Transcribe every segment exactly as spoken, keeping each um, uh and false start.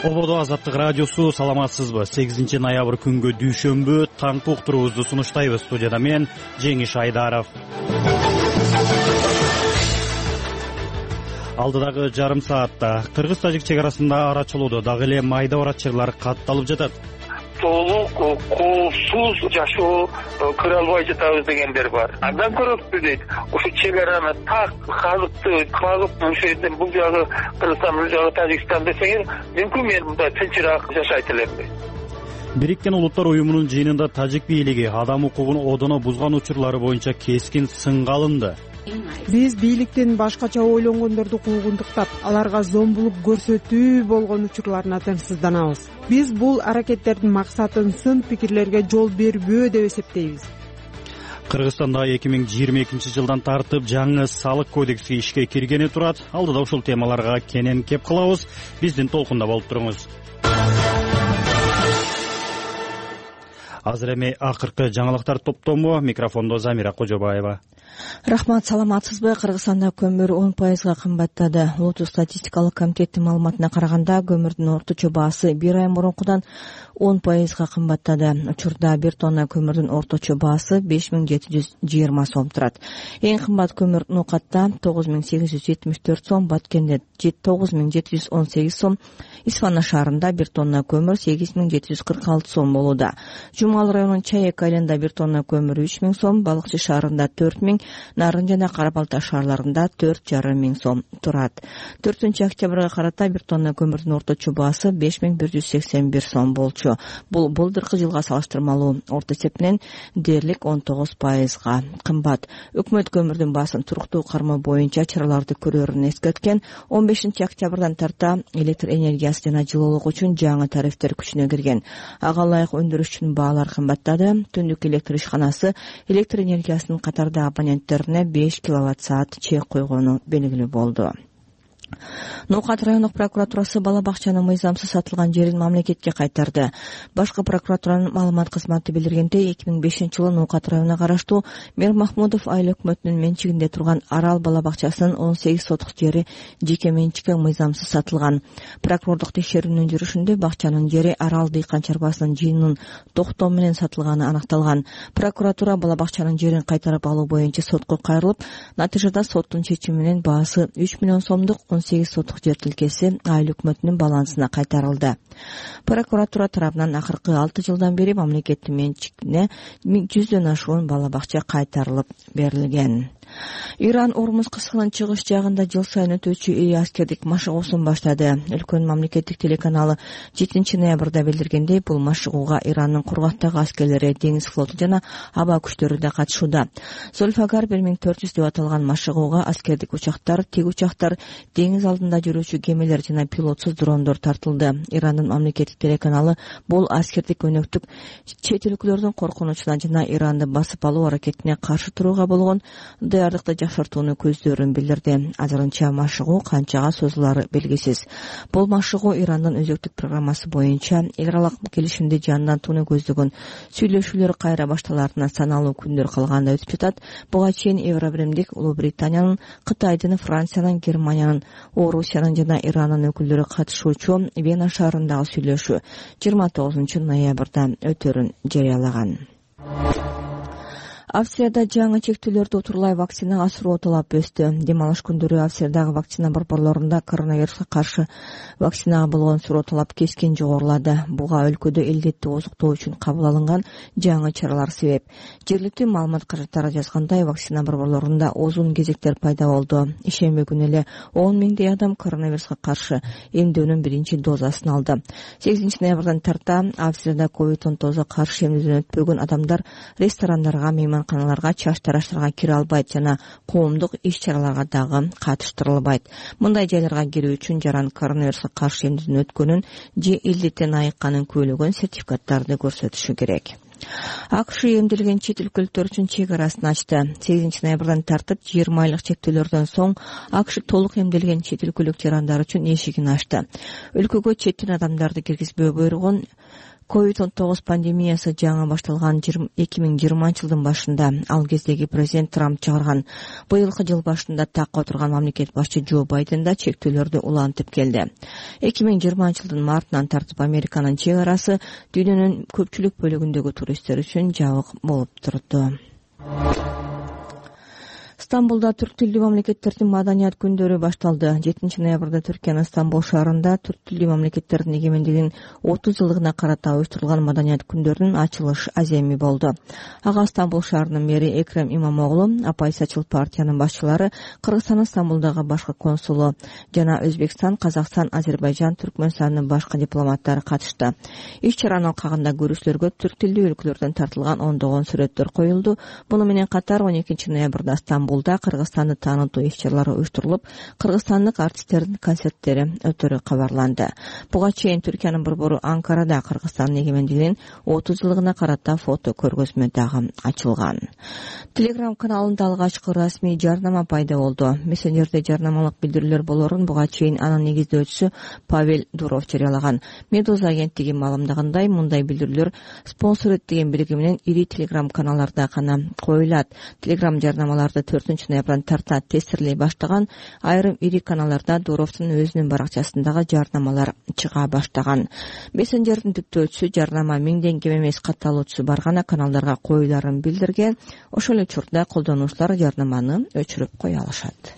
Ободо Азаттык радиосу, саламатсызбы? сегизинчи ноябрь күнгө дүйшөмбү таңкы уктуруубузду сунуштайбыз. Студияда мен Жеңиш Айдаров. Алдыдагы жарым саатта кыргыз-тажик чек арасында арачылоодо дагы эле майда баратчылар катталып жатат. Толук коопсуз жашоо көрө албай жатабыз дегендер бар. Андан көрөпсү дейт. Ошо чек араны так казыкты кагып ошол жерден бул жагы Кыргызстан, бул жагы Тажикстан десеңер, мүмкүн мен мындай тынчыраак жашайт элемби. Бириккен Улуттар уюмунун жыйынында тажик бийлиги адам укугун одоно бузган учурлары боюнча кескин сынга алынды. Биз бийликтин башкача ойлонгондорду куугунтуктап, аларга зомбулук көрсөтүү болгон учурларына тынчсызданабыз. Биз бул аракеттердин максатын сын пикирлерге жол бербөө деп эсептейбиз. Кыргызстанда эки миң жыйырма экинчи жылдан тартып жаңы салык кодекси ишке киргени турат. Алдыда ушул темаларга кенен кеп кылабыз. Биздин толкунда болуп туруңуз. Азыр эми акыркы жаңылыктар топтому. Микрофондо Замира Кожобаева. Рахмат, саламатсызбы? Кыргызстанда көмүр он пайызга кымбаттады. Улуттук статистикалык комитеттин маалыматына караганда, көмүрдүн орточо баасы бир ай мурункудан он пайызга кымбаттады. Учурда бир тонна көмүрдүн орточо баасы беш миң жети жүз жыйырма сом турат. Эң кымбат көмүр Нукатта тогуз миң сегиз жүз жетимиш төрт сом, Баткенде тогуз миң жети жүз он сегиз сом, Исфана шаарында бир тонна көмүр сегиз миң жети жүз кырк алты сом болууда. Жумал районунун Чаек айылында бир тонна көмүр үч миң сом, Балыкчы шаарында төрт миң, Нарын жана Кара Балта шаарларында төрт жарым миң сом турат. төртүнчү октябрга карата бир тонна көмүрдүн орточо баасы беш миң бир жүз сексен бир сом болчу. Бул былтыркы жылга салыштырмалуу орто эсепинен дээрлик он тогуз пайызга кымбат. Өкмөт көмүрдүн баасын туруктуу кармоо боюнча чараларды көрөрүн эскерткен. он бешинчи октябрдан тарта электр энергиясы жана жылуулук үчүн жаңы тарифтер күчүнө кирген. Ага ылайык өндүрүш үчүн баалар кымбаттады. Түндүк электр ишканасы электр энергиясынын катарда абоненттерине беш киловатт саат чек койгону белгилүү болду. Нукат райондук прокуратурасы бала бакчанын мыйзамсыз сатылган жерин мамлекетке кайтарды. Башкы прокуратуранын маалымат кызматы билдиргендей, эки миң бешинчи жылы Нукат районуна караштуу Мер Махмудов айыл өкмөтүнүн менчигинде турган Арал бала бакчасынын он сегиз сотук жери жеке менчикке мыйзамсыз сатылган. Прокурордук текшерүүнүн жүрүшүндө бакчанын жери Арал дыйкан чарбасынын жыйынынын токтоо менен сатылганы анакталган. Прокуратура бала бакчанын жерин кайтарып алуу боюнча сотко кайрылып, натыйжада соттун чечими менен баасы үч миллион сомдук он сегиз сотук жер тилкеси айыл өкмөтүнүн балансына кайтарылды. Прокуратура тарабынан акыркы алты жылдан бери мамлекеттин менчигине жүздөн ашуун бала бакча кайтарылып берилген. Иран Ормуз кыскынын чыгыш жагында жыл сайын өтүүчү iri аскердик машыгуусун баштады. Өлкөнүн мамлекеттик телеканалы жетинчи ноябрда билдиргендей, бул машыгууга Ирандын кургактагы аскерлери, деңиз флоту жана аба күчтөрү да катышууда. Зольфагар бир миң төрт жүз деп аталган машыгууга аскердик учактар, тиг учактар, деңиз алдында жүрүүчү кемелер жана пилотсуз дрондор тартылды. Ирандын мамлекеттик телеканалы бул аскердик өнөктүк чет өлкөлөрдүн коркунучуна жана Иранды басып алуу аракетине каршы турууга болгон даярдыкты жакшыртууну көздөрүн билдирди. Азырынча машыгуу канчага созулары белгисиз. Бул машыгуу Ирандын өзөктүк программасы боюнча эл аралык келишимди жандантууну көздөгөн сүйлөшүүлөр кайра башталарына саналуу күндөр калганда өтүп жатат. Буга чейин Евробиримдик Улуу Британиянын, Кытайдын, Франциянын, Германиянын, Орусиянын жана Ирандын өкүлдөрү катышуучу Вена шаарындагы сүйлөшүү жыйырма тогузунчу ноябрда өтөрүн жарыялаган. Австрияда жаңы чектөөлөрдү утурлай вакцинага суроо талап өстү. Дем алыш күндөрү Австриядагы вакцина борборлорунда коронавируска каршы вакцинага болгон суроо талап кескин жогорулады. Буга өлкөдө илдетти озуктоо үчүн кабыл алынган жаңы чаралар себеп. Жергиликтүү маалымат каражаттары жазгандай, вакцина борборлорунда узун кезектер пайда болду. Ишемби күнү эле он миңдей адам коронавируска каршы эмдөөнүн биринчи дозасын алды. сегизинчи ноябрдан тарта Австрияда ковид он тогузга каршы эмдөөдөн өтпөгөн адамдар ресторандарга, мейманканаларга, чач тараштарга кире албайт жана коомдук иш-чараларга дагы катыштырылбайт. Мындай жайларга кирүү үчүн жаран коронавируска каршы эмдөөдөн өткөнүн же илдеттен айыкканын күбөлөгөн сертификаттарды көрсөтүшү керек. АКШ эмделген чет өлкөлүктөр үчүн чек арасын ачты. сегизинчи ноябрдан тартып жыйырма айлык чектөөлөрдөн соң АКШ толук эмделген чет өлкөлүк жарандар үчүн эшигин ачты. Өлкөгө четтен адамдарды киргизбөө буйругун ковид он тогуз пандемиясы жаңы башталган эки миң жыйырманчы жылдын башында ал кездеги президент Трамп чыгарган быйылкы жыл башында такка отурган мамлекет башчы Джо Байден да чектөөлөрдү улантып келди. эки миң жыйырманчы жылдын мартынан тартып Американын чек арасы дүйнөнүн көпчүлүк бөлүгүндөгү туристтер үчүн жабык болуп турду. Стамбулда түрк тилдүү мамлекеттердин маданият күндөрү башталды. жетинчи ноябрда Түркиянын Стамбул шаарында түрк тилдүү мамлекеттердин эгемендигинин отуз жылдыгына карата уюштурулган маданият күндөрүнүн ачылыш аземи болду. Ага Стамбул шаарынын мэри Экрем Имамоглу, Апай-Сачыл партиянын башчылары, Кыргызстандын Стамбулдагы башкы консулу жана Өзбекстан, Казакстан, Азербайжан, Түркмөнстандын башкы дипломаттары катышты. Иш-чаранын алкагында көрүүчүлөргө түрк тилдүү өлкөлөрдөн тартылган ондогон сүрөттөр коюлду. Муну менен катар он экинчи ноябрда Стамбул Кыргызстанды таанытуу иш-чаралары уюштурулуп, кыргызстандык артисттердин концерттери өтөрү кабарланды. Буга чейин Түркиянын борбору Анкарада Кыргызстандын эгемендигинин отуз жылдыгына карата фото көргөзмө дагы ачылган. Telegram каналында алгачкы расмий жарнама пайда болду. Мессенджерде жарнамалык билдирүүлөр болорун буга чейин анын негиздөөчүсү Павел Дуров жарыялаган. Медуза агенттиги маалымдагандай, мындай билдирүүлөр спонсор деген белги менен ири Telegram каналларда гана коюлат. Telegram жарнамаларды төртүнчү ноябрдан тарта тестирлей баштаган, айрым ири каналларда Дуровдун өзүнүн баракчасындагы жарнамалар чыга баштаган. Мессенджердин түптөөчүсү жарнама миңден кем эмес катталуучусу бар гана каналдарга коюларын билдирген. Ошол учурда колдонуучулар жарнаманы өчүрүп кое алышат.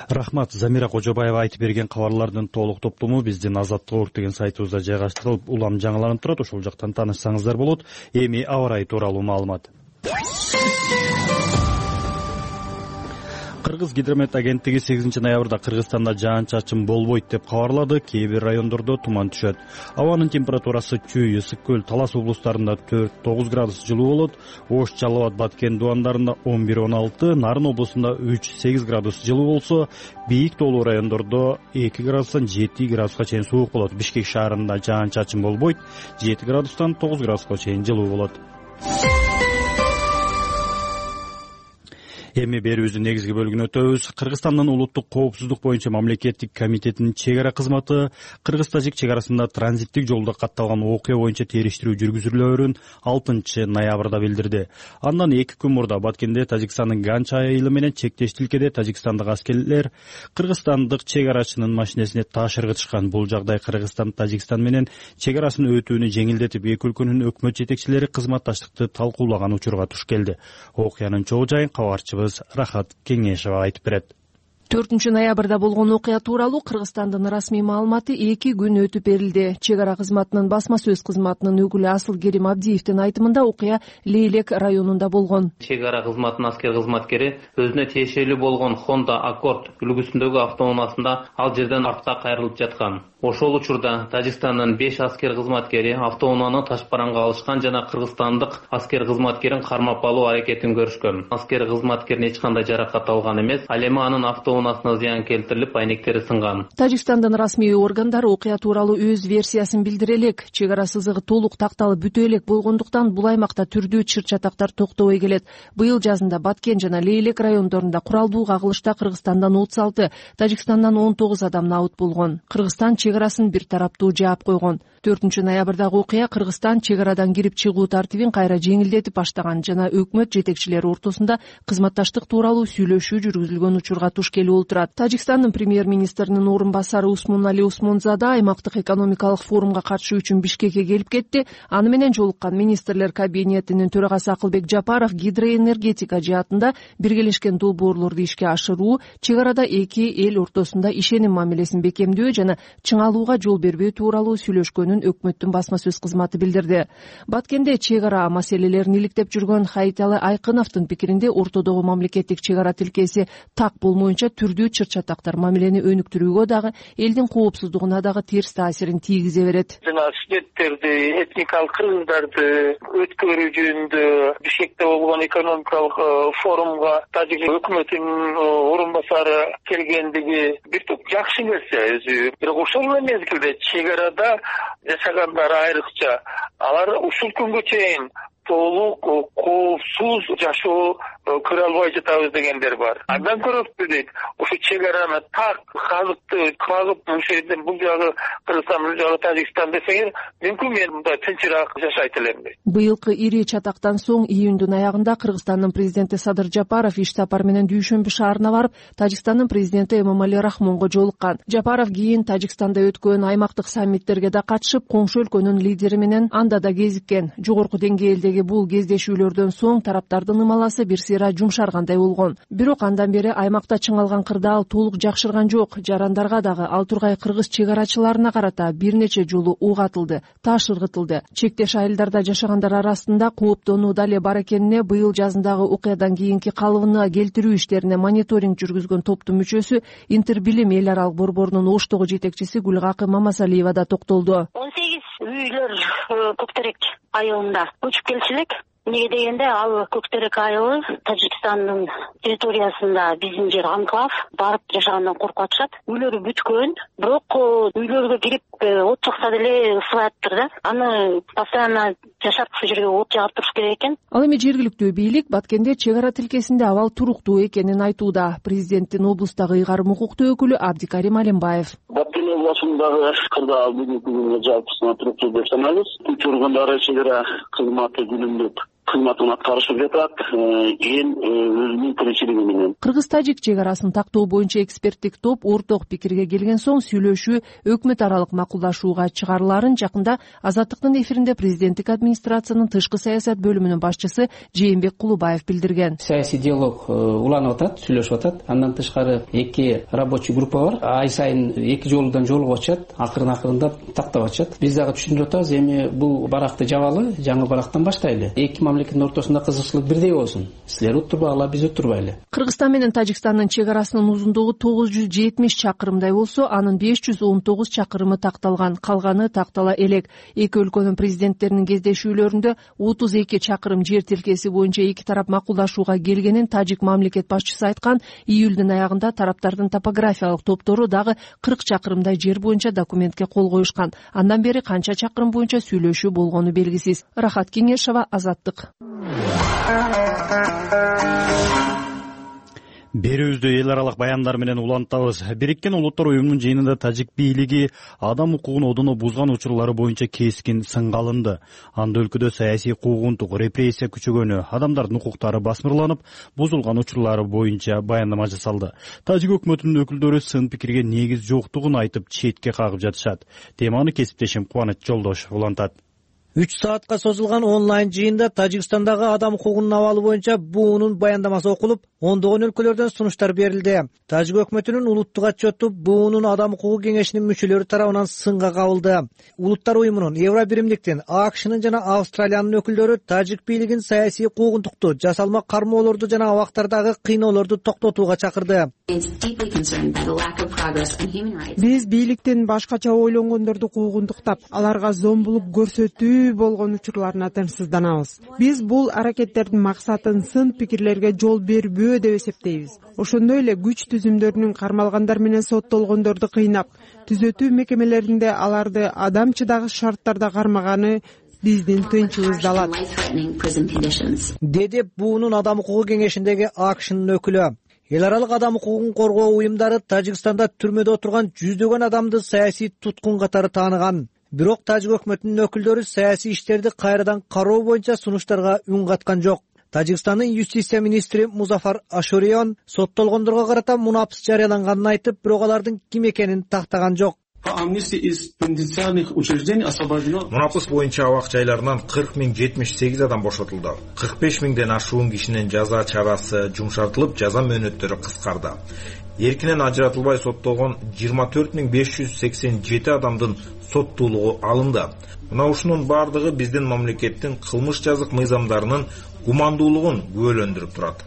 Рахмат. Замира Кожобаева айтып берген кабарлардын толук топтому биздин Азаттык Орг деген сайтыбызда жайгаштырылып, улам жаңыланып турат. Ошол жактан таанышсаңыздар болот. Эми аба ырайы тууралуу маалымат. Кыргыз гидромет агенттиги сегизинчи ноябрда Кыргызстанда жаан-чачын болбойт деп кабарлады. Кээ бир райондордо туман түшөт. Абанын температурасы Чүй, Ысык көл, Талас облустарында төрт тогуз градус жылуу болот. Ош, Жалал Абад, Баткен дубандарында он бир он алты, Нарын облусунда үч сегиз градус жылуу болсо, бийик тоолуу райондордо эки градустан жети градуска чейин суук болот. Бишкек шаарында жаан-чачын болбойт, жети градустан тогуз градуска чейин жылуу болот. Эми берүүбүздүн негизги бөлүгүнө өтөбүз. Кыргызстандын улуттук коопсуздук боюнча мамлекеттик комитетинин чек ара кызматы Кыргыз-Тажик чек арасында транзиттик жолдо катталган окуя боюнча териштирүү жүргүзүлөөрүн алтынчы ноябрда билдирди. Андан эки күн мурда Баткенде Тажикстандын Ганча айылы менен чектеш тилкеде тажикстандык аскерлер кыргызстандык чек арачынын машинесине таш ыргытышкан. Бул жагдай Кыргызстан Тажикстан менен чек арасын өтүүнү жеңилдетип, эки өлкөнүн өкмөт жетекчилери кызматташтыкты талкуулаган учурга туш келди. Окуянын чогуу жайын кабарчыбыз Рахат Кеңешева айтып берет. төртүнчү ноябрда болгон окуя тууралуу Кыргызстандын расмий маалыматы эки күн өтүп берилди. Чек ара кызматынын басма сөз кызматынын өкүлү Асыл Керим Абдиевдин айтымында окуя Лейлек районунда болгон. Чек ара кызматынын аскер кызматкери өзүнө тиешелүү болгон Honda Accord үлгүсүндөгү автоунаасында ал жерден артка кайрылып жаткан. Ошол учурда Тажикстандын беш аскер кызматкери автоунааны ташпаранга алышкан жана кыргызстандык аскер кызматкерин кармап алуу аракетин көрүшкөн. Аскер кызматкерин эч кандай жаракат алган эмес, ал эми анын автоунаасына зыян келтирилип, айнектери сынган. Тажикстандын расмий органдары окуя тууралуу өз версиясын билдире элек. Чек ара сызыгы толук такталып бүтө элек болгондуктан бул аймакта түрдүү чыр-чатактар токтобой келет. Быйыл жазында Баткен жана Лейлек райондорунда куралдуу кагылышта Кыргызстандан отуз алты, Тажикстандан он тогуз адам набыт болгон. Кыргызстан чек арасын бир тараптуу жаап койгон. төртүнчү ноябрдагы окуя Кыргызстан чек арадан кирип чыгуу тартибин кайра жеңилдетип баштаган жана өкмөт жетекчилери ортосунда кызматташтык тууралуу сүйлөшүү жүргүзүлгөн учурга туш келип отурат. Тажикстандын премьер-министринин орун басары Усмонали Усмонзада аймактык экономикалык форумга катышуу үчүн Бишкекке келип кетти. Аны менен жолуккан министрлер кабинетинин төрагасы Акылбек Жапаров гидроэнергетика жаатында биргелешкен долбоорлорду ишке ашыруу, чек арада эки эл ортосунда ишеним мамилесин бекемдөө жана чыңалууга жол бербөө тууралуу сүйлөшкөнүн өкмөттүн басма сөз кызматы билдирди. Баткенде чек ара маселелерин иликтеп жүргөн Хайталы Айкыновдун пикиринде ортодогу мамлекеттик чек ара тилкеси так болмоюнча түрдүү чыр-чатактар мамилени өнүктүрүүгө дагы, элдин коопсуздугуна дагы терс таасирин тийгизе берет. Жана студенттерди, этникалык кыргыздарды өткөрүү жөнүндө Бишкекте болгон экономикалык форумга Тажик өкмөтүнүн орун басары келгендиги бир топ жакшы нерсе өзү. Бирок ошол мезгилде чек арада жашагандар айрыкча алар ушул күнгө чейин толук коопсуз жашоо кыра албай жатабыз дегендер бар. Андан көрөппү дейт. Ушу чек араны так казыкты кагып ушул жерден бул жагы Кыргызстан, бул жагы Тажикстан десеңер, мүмкүн мен мындай тынчыраак жашайт элем дейт. Быйылкы ири чатактан соң июндун аягында Кыргызстандын президенти Садыр Жапаров иш сапар менен Дүйшөмбү шаарына барып, Тажикстандын президенти Эмомали Рахмонго жолуккан. Жапаров кийин Тажикстанда өткөн аймактык саммиттерге да катышып, коңшу өлкөнүн лидери менен анда да кезиккен. Жогорку деңгээлдеги бул кездешүүлөрдөн соң тараптардын ымаласы бир сыйра жумшаргандай болгон. Бирок андан бери аймакта чыңалган кырдаал толук жакшырган жок. Жарандарга дагы ал тургай кыргыз чек арачыларына карата бир нече жолу ук атылды, таш ыргытылды. Чектеш айылдарда жашагандар арасында кооптонуу да эле бар экенине быйыл жазындагы окуядан кийинки калыбына келтирүү иштерине мониторинг жүргүзгөн топтун мүчөсү Интербилим эл аралык борборунун Оштогу жетекчиси Гүлгакы Мамасалиева да токтолду. он сегиз үйлөр Көктерек айылында көчүп келчү элек. Эмнеге дегенде ал Көктерек айылы Тажикстандын территориясында биздин жер анклав, барып жашагандан коркуп атышат. Үйлөрү бүткөн, бирок үйлөргө кирип от жакса деле ысыбай атыптыр да. Аны постоянно жашап ушул жерге от жагып туруш керек экен. Ал эми жергиликтүү бийлик Баткенде чек ара тилкесинде абал туруктуу экенин айтууда. Президенттин облустагы ыйгарым укуктуу өкүлү Абдикарим Алимбаев. Баткен областындагы кырдаал бүгүнкү күнгө жалпысына туруктуу деп санайбыз. Күч органдары чек ара кызматы күнүмдүк кызматын аткарышып жатат, эл өзүнүн тиричилиги менен. Кыргыз-тажик чек арасын тактоо боюнча эксперттик топ орток пикирге келген соң сүйлөшүү өкмөт аралык макулдашууга чыгарылаарын жакында Азаттыктын эфиринде президенттик администрациянын тышкы саясат бөлүмүнүн башчысы Жээнбек Кулубаев билдирген. Саясий диалог уланып атат, сүйлөшүп атат. Андан тышкары эки рабочий группа бар. Ай сайын эки жолудан жолугуп атышат, акырын акырындап тактап атышат. Биз дагы түшүндүрүп атабыз, эми бул баракты жабалы, жаңы барактан баштайлы. Эки мамлекеттин ортосунда кызыкчылык бирдей болсун. Силер уттурбагыла, биз уттурбайлы. Кыргызстан менен Тажикстандын чек арасынын узундугу тогуз жүз жетимиш чакырымдай болсо, анын беш жүз он тогуз чакырымы такталган, калганы тактала элек. Эки өлкөнүн президенттеринин кездешүүлөрүндө отуз эки чакырым жер тилкеси боюнча эки тарап макулдашууга келгенин тажик мамлекет башчысы айткан. Июлдун аягында тараптардын топографиялык топтору дагы кырк чакырымдай жер боюнча документке кол коюшкан. Андан бери канча чакырым боюнча сүйлөшүү болгону белгисиз. Рахат Кеңешова, Азаттык. Берүүбүздү эл аралык баяндар менен улантабыз. Бириккен Улуттар уюмунун жыйынында тажик бийлиги адам укугун одоно бузган учурлары боюнча кескин сынга алынды. Анда өлкөдө саясий куугунтук, репрессия күчөгөнү, адамдардын укуктары басмырланып, бузулган учурлары боюнча баяндама жасалды. Тажик өкмөтүнүн өкүлдөрү сын пикирге негиз жоктугун айтып, четке кагып жатышат. Теманы кесиптешим Кубаныч Жолдошов улантат. үч саатка созулган онлайн жыйында Тажикстандагы адам укугунун абалы боюнча буунун баяндамасы окулуп, ондогон өлкөлөрдөн сунуштар берилди. Тажик өкмөтүнүн улуттук отчету буунун адам укугу кеңешинин мүчөлөрү тарабынан сынга кабылды. Улуттар уюмунун, Евробиримдиктин, АКШнын жана Австралиянын өкүлдөрү тажик бийлигин саясий куугунтукту, жасалма кармоолорду жана абактардагы кыйноолорду токтотууга чакырды. Биз бийликтин башкача ойлонгондорду куугунтуктап, аларга зомбулук көрсөтүү болгон учурларына тынчсызданабыз. Биз бул аракеттердин максатын сын пикирлерге жол бербөө деп эсептейбиз. Ошондой эле күч түзүмдөрүнүн кармалгандар менен соттолгондорду кыйнап, түзөтүү мекемелеринде аларды адамчыдагы шарттарда кармаганы биздин тынчыбызды алат, деди буунун адам укугу кеңешиндеги АКШнын өкүлү. Эл аралык адам укугун коргоо уюмдары Тажикстанда түрмөдө отурган жүздөгөн адамды саясий туткун катары тааныган. Бирок тажик өкмөтүнүн өкүлдөрү саясий иштерди кайрадан кароо боюнча сунуштарга үн каткан жок. Тажикстандын юстиция министри Музафар Ашурион соттолгондорго карата мунапс жарыяланганын айтып, бирок алардын ким экенин тактаган жок. Мунапс боюнча абак жайларынан кырк миң жетимиш сегиз адам бошотулду. кырк беш миңден ашуун кишинин жаза чарасы жумшартылып, жаза мөөнөттөрү кыскарды. Эркинен ажыратылбай соттолгон жыйырма төрт миң беш жүз сексен жети адамдын соттуулугу алынды. Мына ушунун бардыгы биздин мамлекеттин кылмыш жазык мыйзамдарынын гумандуулугун күбөлөндүрүп турат.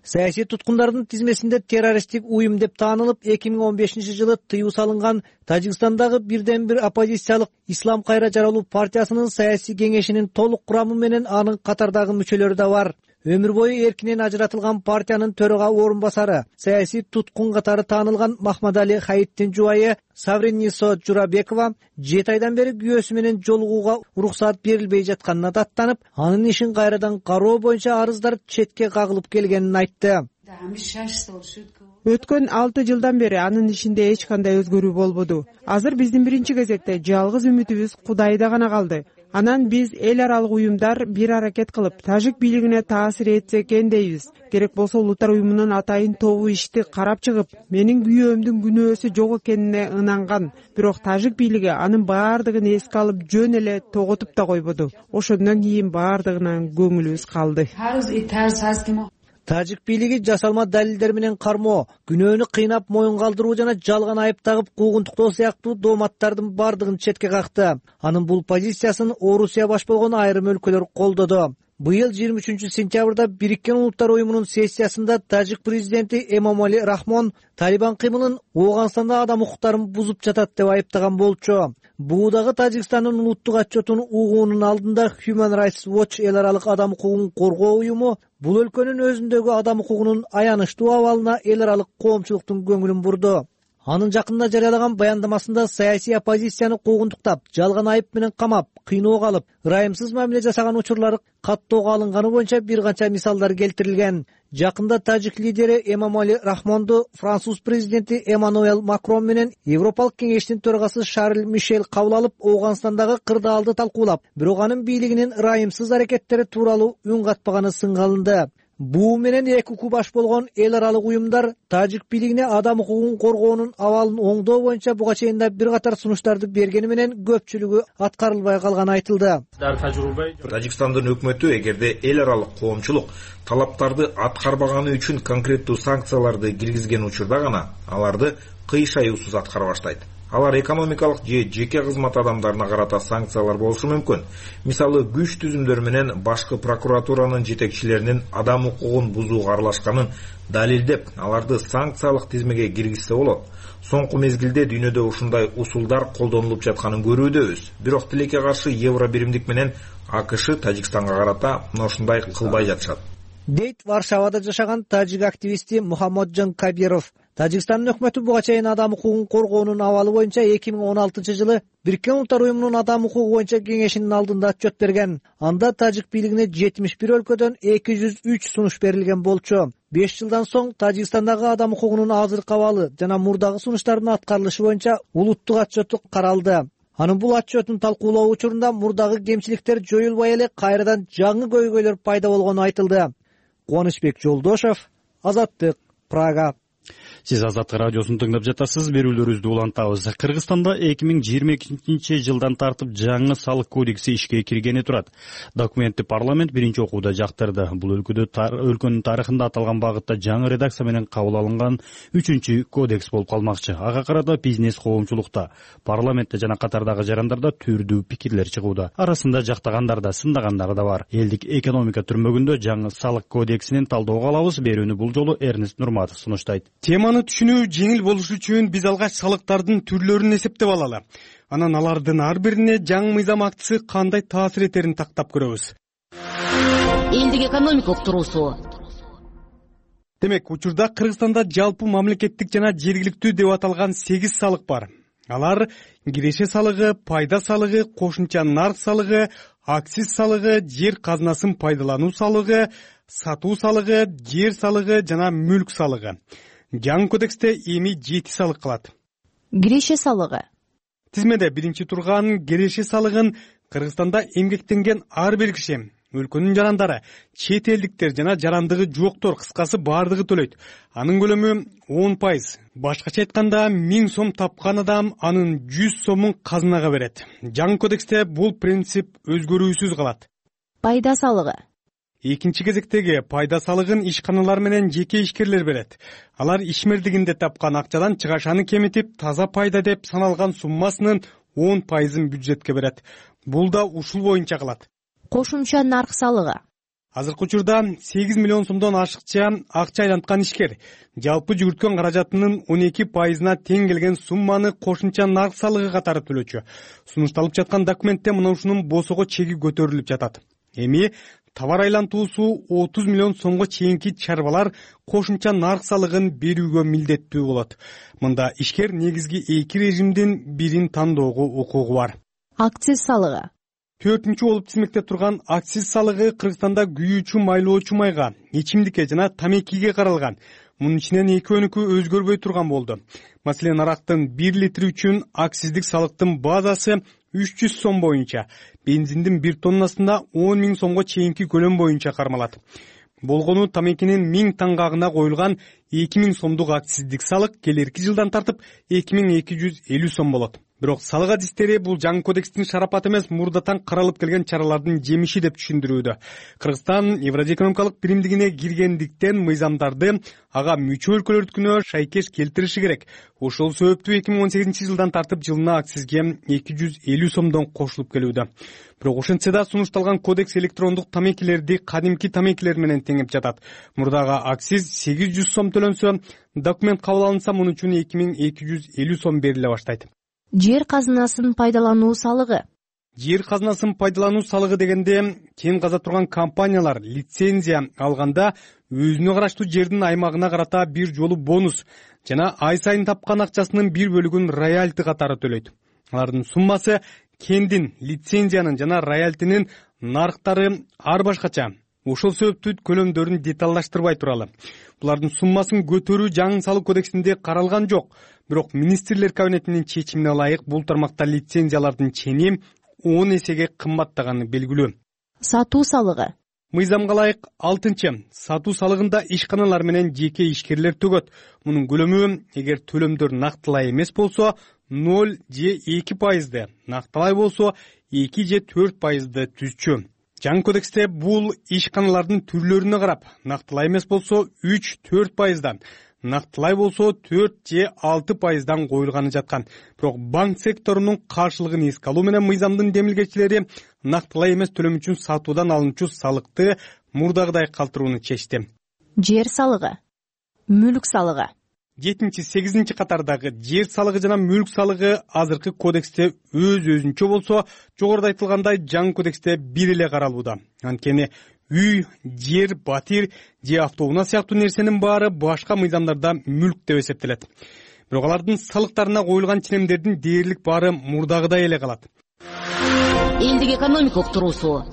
Саясий туткундардын тизмесинде террористтик уюм деп таанылып, эки миң он бешинчи жылы тыюу салынган Тажикстандагы бирден бир оппозициялык Ислам кайра жаралуу партиясынын саясий кеңешинин толук курамы менен анын катардагы мүчөлөрү да бар. өмүр бою эркинен ажыратылган партиянын төрага орун басары, саясий туткун катары таанылган Махмадали Хаиттин жубайы Савринисо Журабекова жети айдан бери күйөөсү менен жолугууга уруксаат берилбей жатканына даттанып, анын ишин кайрадан кароо боюнча арыздар четке кагылып келгенин айтты. Өткөн алты жылдан бери анын ишинде эч кандай өзгөрүү болбоду. Азыр биздин биринчи кезекте жалгыз үмүтүбүз Кудайда гана калды. Анан биз эл аралык уюмдар бир аракет кылып, тажик бийлигине таасир этсе экен дейбиз. Керек болсо улуттар уюмунун атайын тобу ишти карап чыгып, менин күйөөмдүн күнөөсү жок экенине ынанган. Бирок тажик бийлиги анын баардыгын эске алып, жөн эле тоготуп да койбоду. Ошондон кийин баардыгынан көңүлүбүз калды. Тажик бийлиги жасалма далилдер менен кармоо, күнөөнү кыйнап моюн калтыруу жана жалган айып тагып куугунтуктоо сыяктуу дооматтардын бардыгын четке какты. Анын бул позициясын Орусия баш болгон айрым өлкөлөр колдоду. Быйыл жыйырма үчүнчү сентябрда Бириккен Улуттар уюмунун сессиясында тажик президенти Эмомали Рахмон Талибан кыймылын Ооганстанда адам укуктарын бузуп жатат деп айыптаган болчу. Буудагы Тажикстандын улуттук отчетун угуунун алдында Human Rights Watch эл аралык адам укугун коргоо уюму бул өлкөнүн өзүндөгү адам укугунун аянычтуу абалына эл аралык коомчулуктун көңүлүн бурду. Анын жакында жарыялаган баяндамасында саясий оппозицияны куугунтуктап, жалган айып менен камап, кыйноого алып, ырайымсыз мамиле жасаган учурлары каттоого алынганы боюнча бир канча мисалдар келтирилген. Жакында тажик лидери Эмомали Рахмонду француз президенти Эммануэл Макрон менен Европалык кеңештин төрагасы Шарль Мишель кабыл алып, Ооганстандагы кырдаалды талкуулап, бирок анын бийлигинин ырайымсыз аракеттери тууралуу үн катпаганы сынга алынды. Буу менен эки уку баш болгон эл аралык уюмдар тажик бийлигине адам укугун коргоонун абалын оңдоо боюнча буга чейин да бир катар сунуштарды бергени менен көпчүлүгү аткарылбай калганы айтылды. Тажикстандын өкмөтү эгерде эл аралык коомчулук талаптарды аткарбаганы үчүн конкреттүү санкцияларды киргизген учурда гана аларды кыйш аюусуз аткара баштайт. Алар экономикалык же жеке кызмат адамдарына карата санкциялар болушу мүмкүн. Мисалы, күч түзүмдөр менен башкы прокуратуранын жетекчилеринин адам укугун бузууга аралашканын далилдеп, аларды санкциялык тизмеге киргизсе болот. Соңку мезгилде дүйнөдө ушундай усулдар колдонулуп жатканын көрүүдөбүз. Бирок тилекке каршы Евро биримдик менен АКШ Тажикстанга карата мына ушундай кылбай жатышат. Дейт Варшавада жашаган тажик активисти Мухаммаджан Кабиров. Тажикстандын өкмөтү буга чейин адам укугун коргоонун абалы боюнча эки миң он алтынчы жылы Бириккен Улуттар уюмунун адам укугу боюнча кеңешинин алдында отчет берген. Анда тажик бийлигине жетимиш бир өлкөдөн эки жүз үч сунуш берилген болчу. беш жылдан соң Тажикстандагы адам укугунун азыркы абалы жана мурдагы сунуштардын аткарылышы боюнча улуттук отчету каралды. Анын бул отчетун талкуулоо учурунда мурдагы кемчиликтер жоюлбай эле кайрадан жаңы көйгөйлөр пайда болгону айтылды. Кубанычбек Жолдошев, Азаттык, Прага. Сиз Азаттык радиосун тыңдап жатасыз. Берүүлөрүбүздү улантабыз. Кыргызстанда эки миң жыйырма экинчи жылдан тартып жаңы салык кодекси ишке киргени турат. Документти парламент биринчи окууда жактырды. Бул өлкөдө өлкөнүн тарыхында аталган багытта жаңы редакция менен кабыл алынган үчүнчү кодекс болуп калмакчы. Ага карата бизнес коомчулукта, парламентте жана катардагы жарандарда түрдүү пикирлер чыгууда. Арасында жактагандар да, сындагандар да бар. Элдик экономика түрмөгүндө жаңы салык кодексинин талдоого алабыз. Берүүнү бул жолу Эрнест Нурматов сунуштайт. Теманы түшүнүү жеңил болушу үчүн биз алгач салыктардын түрлөрүн эсептеп алалы. Анан алардын ар бирине жаңы мыйзам актысы кандай таасир этерин тактап көрөбүз. Элдик экономика уктуруусу. Демек, учурда Кыргызстанда жалпы мамлекеттик жана жергиликтүү деп аталган сегиз салык бар. Алар киреше салыгы, пайда салыгы, кошумча нарк салыгы, акциз салыгы, жер казынасын пайдалануу салыгы, сатуу салыгы, жер салыгы жана мүлк салыгы. Жаңы кодексте эми жети салык калат. Киреше салыгы. Тизмеде биринчи турган киреше салыгын Кыргызстанда эмгектенген ар бир киши, өлкөнүн жарандары, чет элдиктер жана жарандыгы жоктор, кыскасы баардыгы төлөйт. Анын көлөмү он пайыз. Башкача айтканда, миң сом тапкан адам анын жүз сомун казынага берет. Жаңы кодексте бул принцип өзгөрүүсүз калат. Пайда салыгы. Экинчи кезектеги пайда салыгын ишканалар менен жеке ишкерлер берет. Алар ишмердигинде тапкан акчадан чыгашаны кемитип, таза пайда деп саналган суммасынын он пайызын бюджетке берет. Бул да ушул боюнча калат. Кошумча нарк салыгы. Азыркы учурда сегиз миллион сомдон ашыкча акча айланткан ишкер жалпы жүгүрткөн каражатынын он эки пайызына тең келген сумманы кошумча нарк салыгы катары төлөчү. Сунушталып жаткан документте мына ушунун босого чеги көтөрүлүп жатат. Эми товар айлантуусу отуз миллион сомго чейинки чарбалар кошумча нарк салыгын берүүгө милдеттүү болот. Мында ишкер негизги эки режимдин бирин тандоого укугу бар. Акциз салыгы. Төртүнчү болуп тизмекте турган акциз салыгы Кыргызстанда күйүүчү майлоочу майга, ичимдикке жана тамекиге каралган. Мунун ичинен экөөнүкү өзгөрбөй турган болду. Маселен, арактын бир литри үчүн акциздик салыктын базасы үч жүз сом боюнча, бензиндин бир тоннасында он миң сомго чейинки көлөм боюнча кармалат. Болгону тамекинин миң таңгагына коюлган эки миң сомдук акциздик салык келерки жылдан тартып эки миң эки жүз элүү сом болот. Бирок салык адистери бул жаңы кодекстин шарапаты эмес, мурдатан каралып келген чаралардын жемиши деп түшүндүрүүдө. Кыргызстан Евразия экономикалык биримдигине киргендиктен мыйзамдарды ага мүчө өлкөлөрдүкүнө шайкеш келтириши керек. Ошол себептүү эки миң он сегизинчи жылдан тартып жылына акцизге эки жүз элүү сомдон кошулуп келүүдө. Бирок ошентсе да сунушталган кодекс электрондук тамекилерди кадимки тамекилер менен теңеп жатат. Мурдагы акциз сегиз жүз сом төлөнсө, документ кабыл алынса, мунун үчүн эки миң эки жүз элүү сом бериле баштайт. Жер казынасын пайдалануу салыгы. Жер казынасын пайдалануу салыгы дегенде кен каза турган компаниялар лицензия алганда өзүнө караштуу жердин аймагына карата бир жолу бонус жана ай сайын тапкан акчасынын бир бөлүгүн роялти катары төлөйт. Алардын суммасы кендин, лицензиянын жана роялтинин нарктары ар башкача. Ошол себептүү көлөмдөрүн деталдаштырбай туралы. Булардын суммасын көтөрүү жаңы салык кодексинде каралган жок. Бирок министрлер кабинетинин чечимине ылайык бул тармакта лицензиялардын чени он эсеге кымбаттаганы белгилүү. Сатуу салыгы. Мыйзамга ылайык алтынчы сатуу салыгында ишканалар менен жеке ишкерлер төгөт. Мунун көлөмү эгер төлөмдөр нактылай эмес болсо ноль же эки пайызды, нактылай болсо эки же төрт пайызды түзчү. Жаңы кодексте бул ишканалардын түрлөрүнө карап, нактылай эмес болсо үч төрт пайыздан, нактылай болсо төрт же алты пайыздан коюлганы жаткан. Бирок банк секторунун каршылыгын эске алуу менен мыйзамдын демилгечилери нактылай эмес төлөм үчүн сатуудан алынчу салыкты мурдагыдай калтырууну чечти. Жер салыгы. Мүлк салыгы. жетинчи сегизинчи катардагы жер салыгы жана мүлк салыгы азыркы кодексте өз өзүнчө болсо, жогоруда айтылгандай жаңы кодексте бир эле каралууда. Анткени үй, жер, батир же автоунаа сыяктуу нерсенин баары башка мыйзамдарда мүлк деп эсептелет. Бирок алардын салыктарына коюлган ченемдердин дээрлик баары мурдагыдай эле калат. Элдик экономика уктуруусу.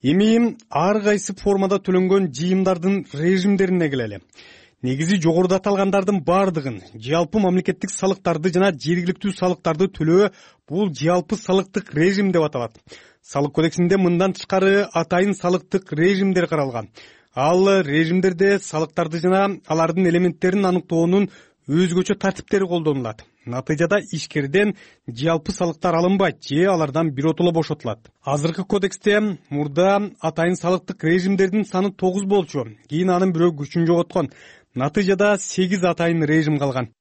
Эми ар кайсы формада төлөнгөн жыйымдардын режимдерине келели. Негизи жогоруда аталгандардын бардыгын, жалпы мамлекеттик салыктарды жана жергиликтүү салыктарды төлөө бул жалпы салыктык режим деп аталат. Салык кодексинде мындан тышкары атайын салыктык режимдер каралган. Ал режимдерде салыктарды жана алардын элементтерин аныктоонун өзгөчө тартиптери колдонулат. Натыйжада ишкерден жалпы салыктар алынбайт же алардан биротоло бошотулат. Азыркы кодексте мурда атайын салыктык режимдердин саны тогуз болчу, кийин анын бирөө күчүн жоготкон. Натыйжада сегиз атайын режим калган.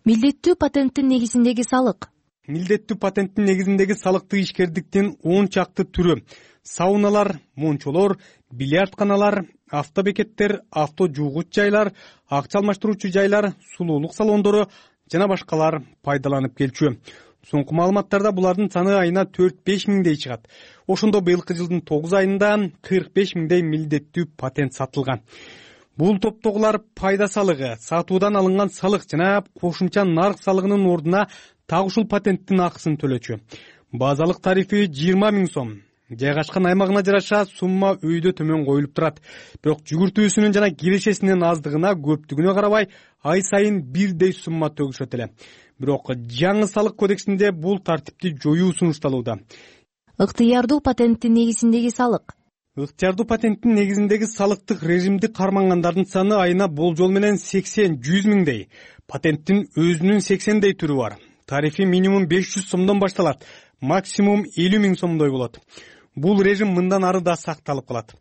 Милдеттүү патенттин негизиндеги салык. Милдеттүү патенттин негизиндеги салыктык ишкердиктин он чакты түрү: сауналар, мончолор, бильярдканалар, автобекеттер, авто жуугуч жайлар, акча алмаштыруучу жайлар, сулуулук салондору жана башкалар пайдаланып келчү. Соңку маалыматтарда булардын саны айына төрт беш миңдей чыгат. Ошондо быйылкы жылдын тогуз айында кырк беш миңдей милдеттүү патент сатылган. Бул топтогулар пайда салыгы, сатуудан алынган салык жана кошумча нарк салыгынын ордуна так ушул патенттин акысын төлөчү. Базалык тарифи жыйырма миң сом. Жайгашкан аймагына жараша сумма өйдө төмөн коюлуп турат. Бирок жүгүртүүсүнүн жана кирешесинин аздыгына, көптүгүнө карабай, ай сайын бирдей сумма төгүшөт эле. Бирок жаңы салык кодексинде бул тартипти жоюу сунушталууда. Ыктыярдуу патенттин негизиндеги салык. Ыктыярдуу патенттин негизиндеги салыктык режимди кармангандардын саны айына болжол менен сексен жүз миңдей. Патенттин өзүнүн сексендей түрү бар. Тарифи минимум беш жүз сомдон башталат, максимум элүү миң сомдой болот. Бул режим мындан ары да сакталып калат.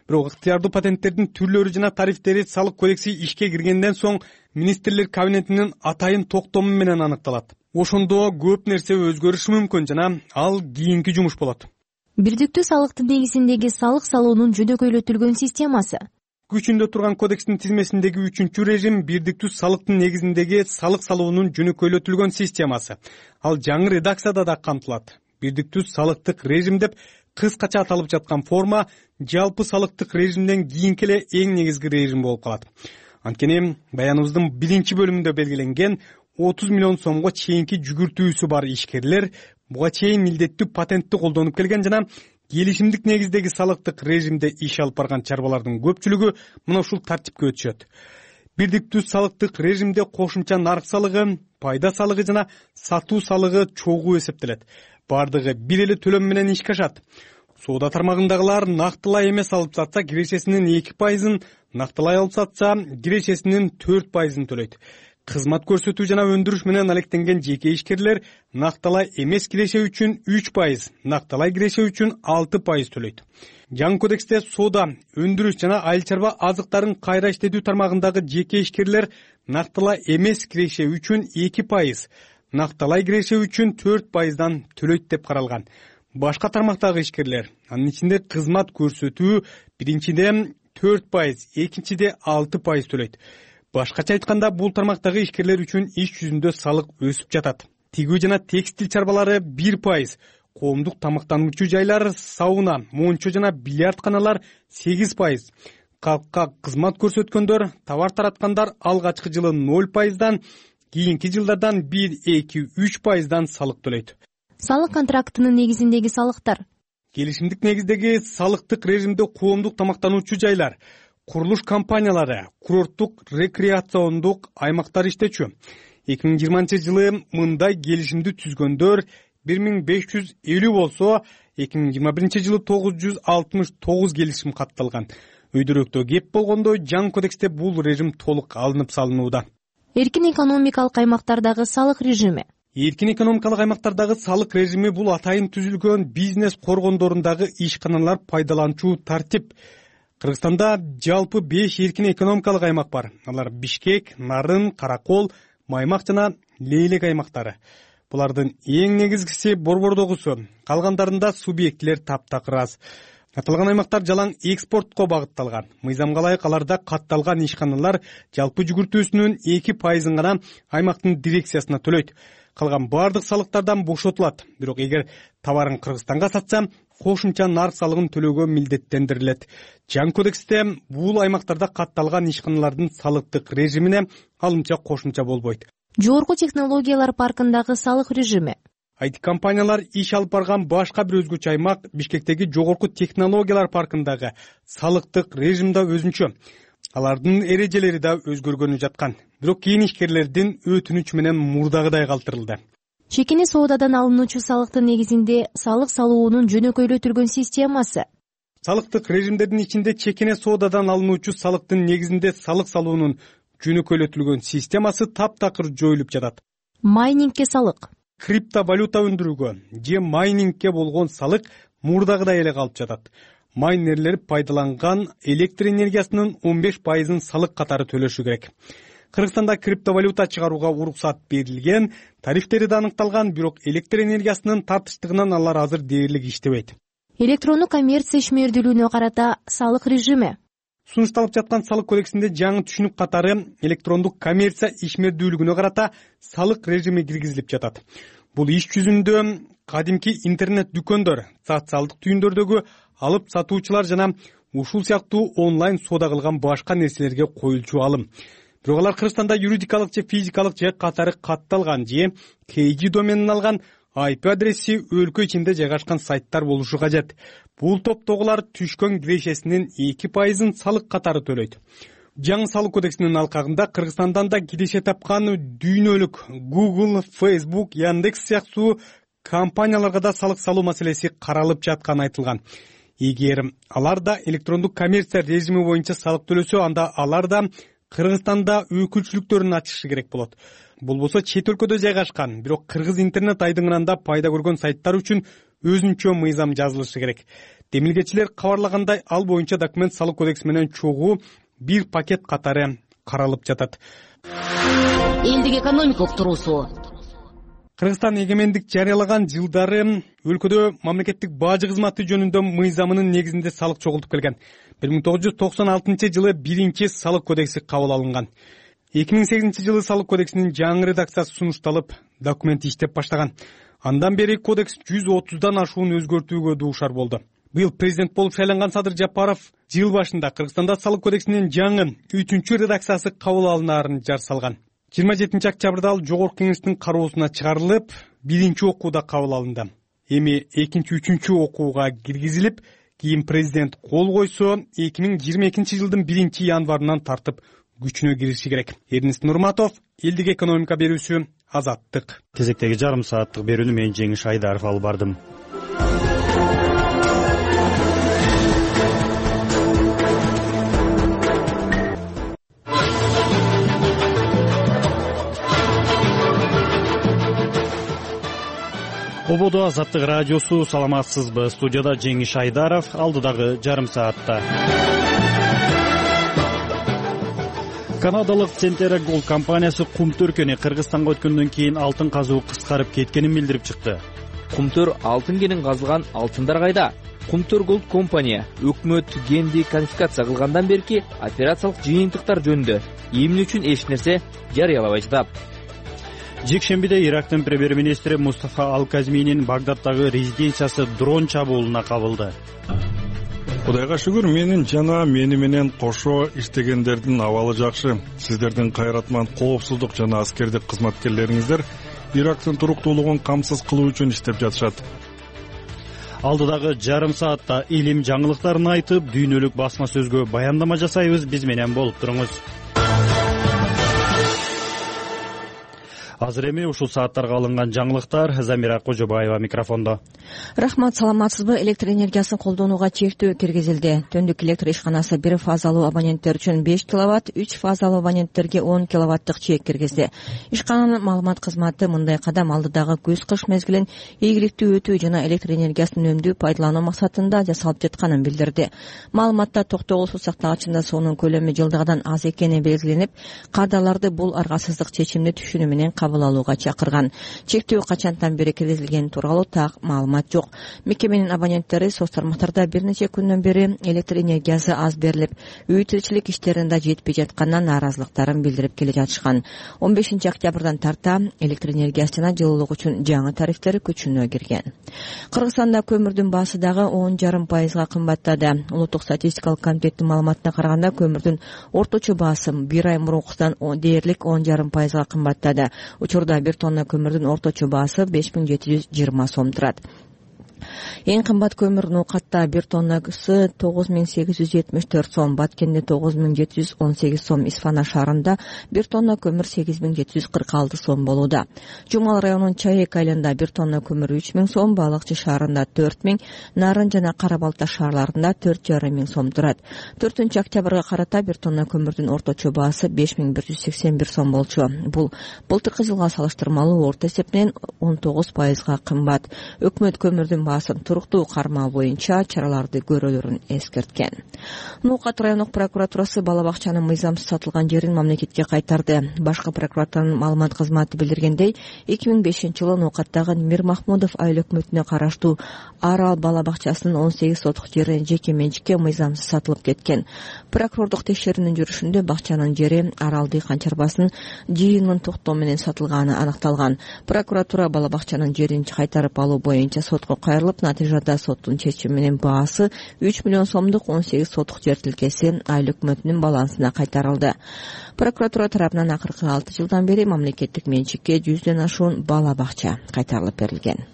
Бирок ыктыярдуу патенттердин түрлөрү жана тарифтери салык кодекси ишке киргенден соң министрлер кабинетинин атайын токтому менен аныкталат. Ошондо көп нерсе өзгөрүшү мүмкүн жана ал кийинки жумуш болот. Бирдиктүү салыктын негизиндеги салык салуунун жөнөкөйлөтүлгөн системасы. Күчүндө турган кодекстин тизмесиндеги үчүнчү режим бирдиктүү салыктын негизиндеги салык салуунун жөнөкөйлөтүлгөн системасы. Ал жаңы редакцияда да камтылат. Бирдиктүү салыктык режим деп кыскача аталып жаткан форма жалпы салыктык режимден кийинки эле эң негизги режим болуп калат. Анткени баяныбыздын биринчи бөлүмүндө белгиленген отуз миллион сомго чейинки жүгүртүүсү бар ишкерлер буга чейин милдеттүү патентти колдонуп келген жана келишимдик негиздеги салыктык режимде иш алып барган чарбалардын көпчүлүгү мына ушул тартипке өтүшөт. Бирдиктүү салыктык режимде кошумча нарк салыгы, пайда салыгы жана сатуу салыгы чогуу эсептелет. Бардыгы бир эле төлөм менен ишке ашат. Соода тармагындагылар нактылай эмес алып сатса кирешесинин эки пайызын, нактылай алып сатса кирешесинин төрт пайызын төлөйт. Кызмат көрсөтүү жана өндүрүш менен алектенген жеке ишкерлер накталай эмес киреше үчүн үч пайыз, накталай киреше үчүн алты пайыз төлөйт. Жаңы кодексте соода, өндүрүш жана айыл чарба азыктарын кайра иштетүү тармагындагы жеке ишкерлер накталай эмес киреше үчүн эки пайыз, накталай киреше үчүн төрт пайыздан төлөйт деп каралган. Башка тармактагы ишкерлер, анын ичинде кызмат көрсөтүү биринчиде төрт пайыз, экинчиде алты пайыз төлөйт. Башкача айтканда, бул тармактагы ишкерлер үчүн иш жүзүндө салык өсүп жатат. Тигүү жана текстил чарбалары бир пайыз, коомдук тамактануучу жайлар, сауна, мончо жана бильярдканалар сегиз пайыз, калкка кызмат көрсөткөндөр, товар тараткандар алгачкы жылы ноль пайыздан, кийинки жылдардан бир, эки, үч пайыздан салык төлөйт. Салык контрактынын негизиндеги салыктар. Келишимдик негиздеги салыктык режимде коомдук тамактануучу жайлар, курулуш компаниялары, курорттук рекреациондук аймактар иштечү. эки миң жыйырманчы жылы мындай келишимди түзгөндөр бир миң беш жүз элүү болсо, эки миң жыйырма биринчи жылы тогуз жүз алтымыш тогуз келишим катталган. Өйдөрөөктө кеп болгондо жаңы кодексте бул режим толук алынып салынууда. Эркин экономикалык аймактардагы салык режими. Эркин экономикалык аймактардагы салык режими бул атайын түзүлгөн бизнес коргондорундагы ишканалар пайдаланчу тартип. Кыргызстанда жалпы беш эркин экономикалык аймак бар. Алар Бишкек, Нарын, Каракол, Маймак жана Лейлек аймактары. Булардын эң негизгиси борбордогусу, калгандарында субъектилер таптакыр аз. Аталган аймактар жалаң экспортко багытталган. Мыйзамга ылайык аларда катталган ишканалар жалпы жүгүртүүсүнүн эки пайызын гана аймактын дирекциясына төлөйт. Калган бардык салыктардан бошотулат. Бирок эгер товарын Кыргызстанга сатса, кошумча нарк салыгын төлөөгө милдеттендирилет. Жаңы кодексте бул аймактарда катталган ишканалардын салыктык режимине алымча кошумча болбойт. Жогорку технологиялар паркындагы салык режими. ай ти компаниялар иш алып барган башка бир өзгөчө аймак Бишкектеги жогорку технологиялар паркындагы салыктык режим да өзүнчө. Алардын эрежелери да өзгөргөнү жаткан. Бирок кийин ишкерлердин өтүнүчү менен мурдагыдай калтырылды. Чекини соодадан алынуучу салыктын негизинде салык салуунун жөнөкөйлөтүлгөн системасы. Салыктык режимдердин ичинде чекине соодадан алынуучу салыктын негизинде салык салуунун жөнөкөйлөтүлгөн системасы таптакыр жоюлуп жатат. Майнингке салык. Криптовалюта өндүрүүгө же майнингке болгон салык мурдагыдай эле калып жатат. Майнерлер пайдаланган электр энергиясынын он беш пайызын салык катары төлөшү керек. Кыргызстанда криптовалюта чыгарууга уруксат берилген, тарифтери да аныкталган, бирок электр энергиясынын тартыштыгынан алар азыр дээрлик иштебейт. Электрондук коммерция ишмердүүлүгүнө карата салык режими. Сунушталып жаткан салык кодексинде жаңы түшүнүк катары электрондук коммерция ишмердүүлүгүнө карата салык режими киргизилип жатат. Бул иш жүзүндө кадимки интернет дүкөндөр, социалдык түйүндөрдөгү алып сатуучулар жана ушул сыяктуу онлайн соода кылган башка нерселерге коюлчу алым. Бирок алар Кыргызстанда юридикалык же физикалык же катары катталган же кей жи доменин алган ай пи адреси өлкө ичинде жайгашкан сайттар болушу кажет. Бул топтогулар түшкөн кирешесинин эки пайызын салык катары төлөйт. Жаңы салык кодексинин алкагында Кыргызстандан да киреше тапкан дүйнөлүк Google, Facebook, Яндекс сыяктуу компанияларга да салык салуу маселеси каралып жатканы айтылган. Эгер алар да электрондук коммерция режими боюнча салык төлөсө, анда алар да Кыргызстанда өкүлчүлүктөрүн ачышы керек болот. Болбосо чет өлкөдө жайгашкан, бирок кыргыз интернет айдыңында пайда көргөн сайттар үчүн өзүнчө мыйзам жазылышы керек. Демилгечилер кабарлагандай, ал боюнча документ салык кодекси менен чогуу бир пакет катары каралып жатат. Элдик экономикалык туруусу. Кыргызстан эгемендик жарыялаган жылдары өлкөдө мамлекеттик бажы кызматы жөнүндө мыйзамынын негизинде салык чогултуп келген. бир миң тогуз жүз токсон алтынчы жылы биринчи салык кодекси кабыл алынган. эки миң сегизинчи жылы салык кодексинин жаңы редакциясы сунушталып, документ иштеп баштаган. Андан бери кодекс жүз отуздан ашуун өзгөртүүгө дуушар болду. Быйыл президент болуп шайланган Садыр Жапаров жыл башында Кыргызстанда салык кодексинин жаңы үчүнчү редакциясы кабыл алынаарын жар салган. жыйырма жетинчи октябрда ал жогорку кеңештин кароосуна чыгарылып, биринчи окууда кабыл алынды. Эми экинчи, үчүнчү окууга киргизилип, кийин президент кол койсо, эки миң жыйырма экинчи жылдын биринчи январынан тартып күчүнө кириши керек. Эрнест Нурматов, Элдик экономика берүүсү, Азаттык. Кезектеги жарым сааттык берүүнү мен Жеңиш Айдаров алып бардым. Ободо Азаттык радиосу, саламатсызбы? Студияда Жеңиш Айдаров, алдыдагы жарым саатта. Канадалык Центера Голд компаниясы Кумтөр-кени Кыргызстанга өткөндөн кийин алтын казуу кыскарып кеткенин билдирип чыкты. Кумтөр алтын кенин казылган алтындар кайда? Кумтөр Голд компания өкмөт кенди конфискация кылгандан берки операциялык жыйынтыктар жөнүндө эмне үчүн эч нерсе жарыялабай жатат. Жекшембиде Ирактын премьер-министри Мустафа Ал-Казминин Багдаддагы резиденциясы дрон чабуулуна кабылды. Кудайга шүгүр, менин жана мени менен кошо иштегендердин абалы жакшы. Сиздердин кайратман коопсуздук жана аскердик кызматкерлериңиздер Ирактын туруктуулугун камсыз кылуу үчүн иштеп жатышат. Алдыдагы жарым саатта илим жаңылыктарын айтып, дүйнөлүк басма сөзгө баяндама жасайбыз. Биз менен болуп туруңуз. Азыр эми ушул сааттарга алынган жаңылыктар. Замира Кожобаева микрофондо. Рахмат, саламатсызбы? Электр энергиясын колдонууга чектөө киргизилди. Төндүк электр ишканасы бир фазалуу абоненттер үчүн беш киловатт, үч фазалуу абоненттерге он киловаттык чек киргизди. Ишкананын маалымат кызматы мындай кадам алдыдагы күз-кыш мезгилин ийгиликтүү өтүү жана электр энергиясын үнөмдүү пайдалануу максатында жасалып жатканын билдирди. Маалыматта токтогул суу сактагычында суунун көлөмү жылдагыдан аз экени белгиленип, кардарларды бул аргасыздык чечимди түшүнүү менен кабыл алууга чакырган. Чектөө качантан бери киргизилгени тууралуу так маалымат жок. Мекеменин абоненттери соц тармактарда бир нече күндөн бери электр энергиясы аз берилип, үй тиричилик иштеринде жетпей жаткандан нааразылыктарын билдирип келе жатышкан. он бешинчи октябрдан тарта электр энергиясы жана жылуулук үчүн жаңы тарифтер күчүнө кирген. Кыргызстанда көмүрдүн баасы дагы он жарым пайызга кымбаттады. Улуттук статистикалык комитеттин маалыматына караганда көмүрдүн орточо баасы бир ай мурункудан дээрлик он жарым пайызга кымбаттады. Учурда бир тонна көмүрдүн орточо баасы беш миң жети жүз жыйырма сом турат. Эң кымбат көмүр Нукатта бир тоннасы тогуз миң сегиз жүз жетимиш төрт сом, Баткенде тогуз миң жети жүз он сегиз сом, Исфана шаарында бир тонна көмүр сегиз миң жети жүз кырк алты сом болууда. Жумал районунун Чаек айылында бир тонна көмүр үч миң сом, Балыкчы шаарында төрт миң, Нарын жана Кара Балта шаарларында төрт жарым миң сом турат. төртүнчү октябрга карата бир тонна көмүрдүн орточо баасы беш миң бир жүз сексен бир сом болчу. Бул былтыркы жылга салыштырмалуу орто эсепинен он тогуз пайызга кымбат. Өкмөт көмүрдүн баасын туруктуу кармоо боюнча чараларды көрөлөрүн эскерткен. Нукат райондук прокуратурасы бала бакчанын мыйзамсыз сатылган жерин мамлекетке кайтарды. Башкы прокуратуранын маалымат кызматы билдиргендей, эки миң бешинчи жылы Нукаттагы Мир Махмудов айыл өкмөтүнө караштуу Арал бала бакчасынын он сегиз сотук жери жеке менчикке мыйзамсыз сатылып кеткен. Прокурордук текшерүүнүн жүрүшүндө бакчанын жери Арал дыйкан чарбасынын жыйынын токтоо менен сатылганы аныкталган. Прокуратура бала бакчанын жерин кайтарып алуу боюнча сотко кайрылып, натыйжада соттун чечими менен баасы үч миллион сомдук он сегиз сотук жер тилкеси айыл өкмөтүнүн балансына кайтарылды. Прокуратура тарабынан акыркы алты жылдан бери мамлекеттик менчикке жүздөн ашуун бала бакча кайтарылып берилген.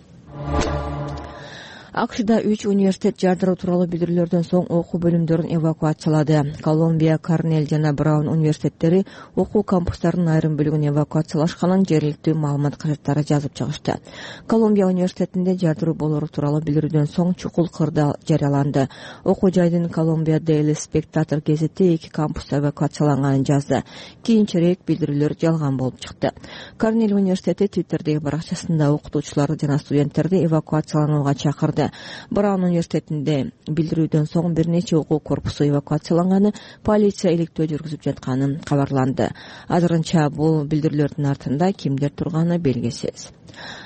АКШда үч университет жардыруу тууралуу билдирүүлөрдөн соң окуу бөлүмдөрүн эвакуациялады. Колумбия, Корнель жана Браун университеттери окуу кампустарынын айрым бөлүгүн эвакуациялашканын жергиликтүү маалымат кажеттары жазып чыгышты. Колумбия университетинде жардыруу болору тууралуу билдирүүдөн соң чукул кырдаал жарыяланды. Окуу жайдын Колумбия Daily Spectator гезити эки кампуста эвакуацияланганын жазды. Кийинчерээк билдирүүлөр жалган болуп чыкты. Корнель университети Twitterдеги баракчасында окутуучуларды жана студенттерди эвакуацияланууга чакырды. Браун университетинде билдирүүдөн соң бир нече окуу корпусу эвакуацияланганы, полиция иликтөө жүргүзүп жатканы кабарланды. Азырынча бул билдирүүлөрдүн артында кимдер турганы белгисиз.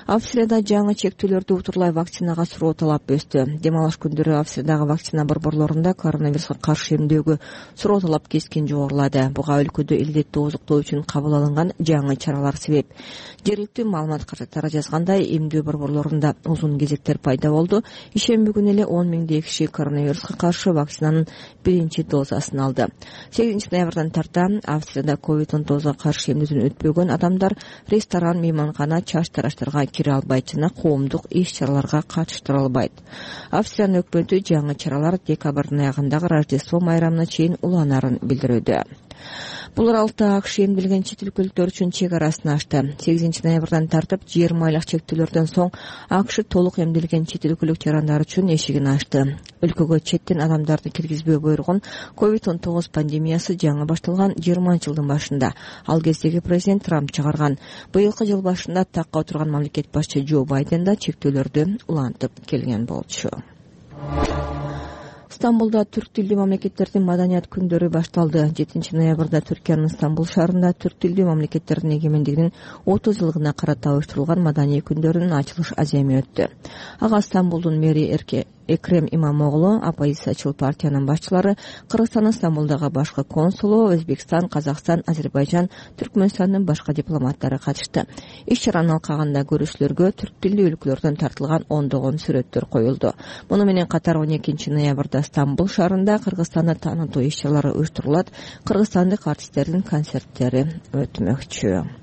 Австрияда жаңы чектөөлөрдү утурлай вакцинага суроо талап өстү. Дем алыш күндөрү Австриядагы вакцина борборлорунда коронавируска каршы эмдөөгө суроо талап кескин жогорулады. Буга өлкөдө илдетти ооздуктоо үчүн кабыл алынган жаңы чаралар себеп. Жергиликтүү маалымат каражаттары жазгандай, эмдөө борборлорунда узун кезектер пайда болду. Ишемби күнү эле он миңдей киши коронавируска каршы вакцинанын биринчи дозасын алды. сегизинчи ноябрдан тарта Австрияда ковид он тогузга каршы эмдөөдөн өтпөгөн адамдар ресторан, мейманкана, чач тараштарга кире албайт жана коомдук иш-чараларга катыштыра албайт. Австриянын өкмөтү жаңы чаралар декабрдын аягындагы Рождество майрамына чейин уланарын билдирүүдө. Бул аралыкта АКШ эмделген чет өлкөлүктөр үчүн чек арасын ачты. сегизинчи ноябрдан тартып жыйырма айлык чектөөлөрдөн соң АКШ толук эмделген чет өлкөлүк жарандар үчүн эшигин ачты. Өлкөгө четтен адамдарды киргизбөө буйругун ковид он тогуз пандемиясы жаңы башталган жыйырманчы жылдын башында ал кездеги президент Трамп чыгарган. Быйылкы жыл башында такка отурган мамлекет башчы Джо Байден да чектөөлөрдү улантып келген болчу. Стамбулда түрк тилдүү мамлекеттердин маданият күндөрү башталды. жетинчи ноябрда Түркиянын Стамбул шаарында түрк тилдүү мамлекеттердин эгемендигинин отуз жылдыгына карата уюштурулган маданий күндөрүнүн ачылыш аземи өттү. Ага Стамбулдун мэри Эрке Экрем Имамоглу, оппозициячыл партиянын башчылары, Кыргызстандын Стамбулдагы башкы консулу, Өзбекстан, Казакстан, Азербайжан, Түркмөнстандын башка дипломаттары катышты. Иш-чаранын алкагында көрүүчүлөргө түрк тилдүү өлкөлөрдөн тартылган ондогон сүрөттөр коюлду. Муну менен катар он экинчи ноябрда Стамбул шаарында Кыргызстанды таанытуу иш-чаралары уюштурулат. Кыргызстандык артисттердин концерттери өтмөкчү.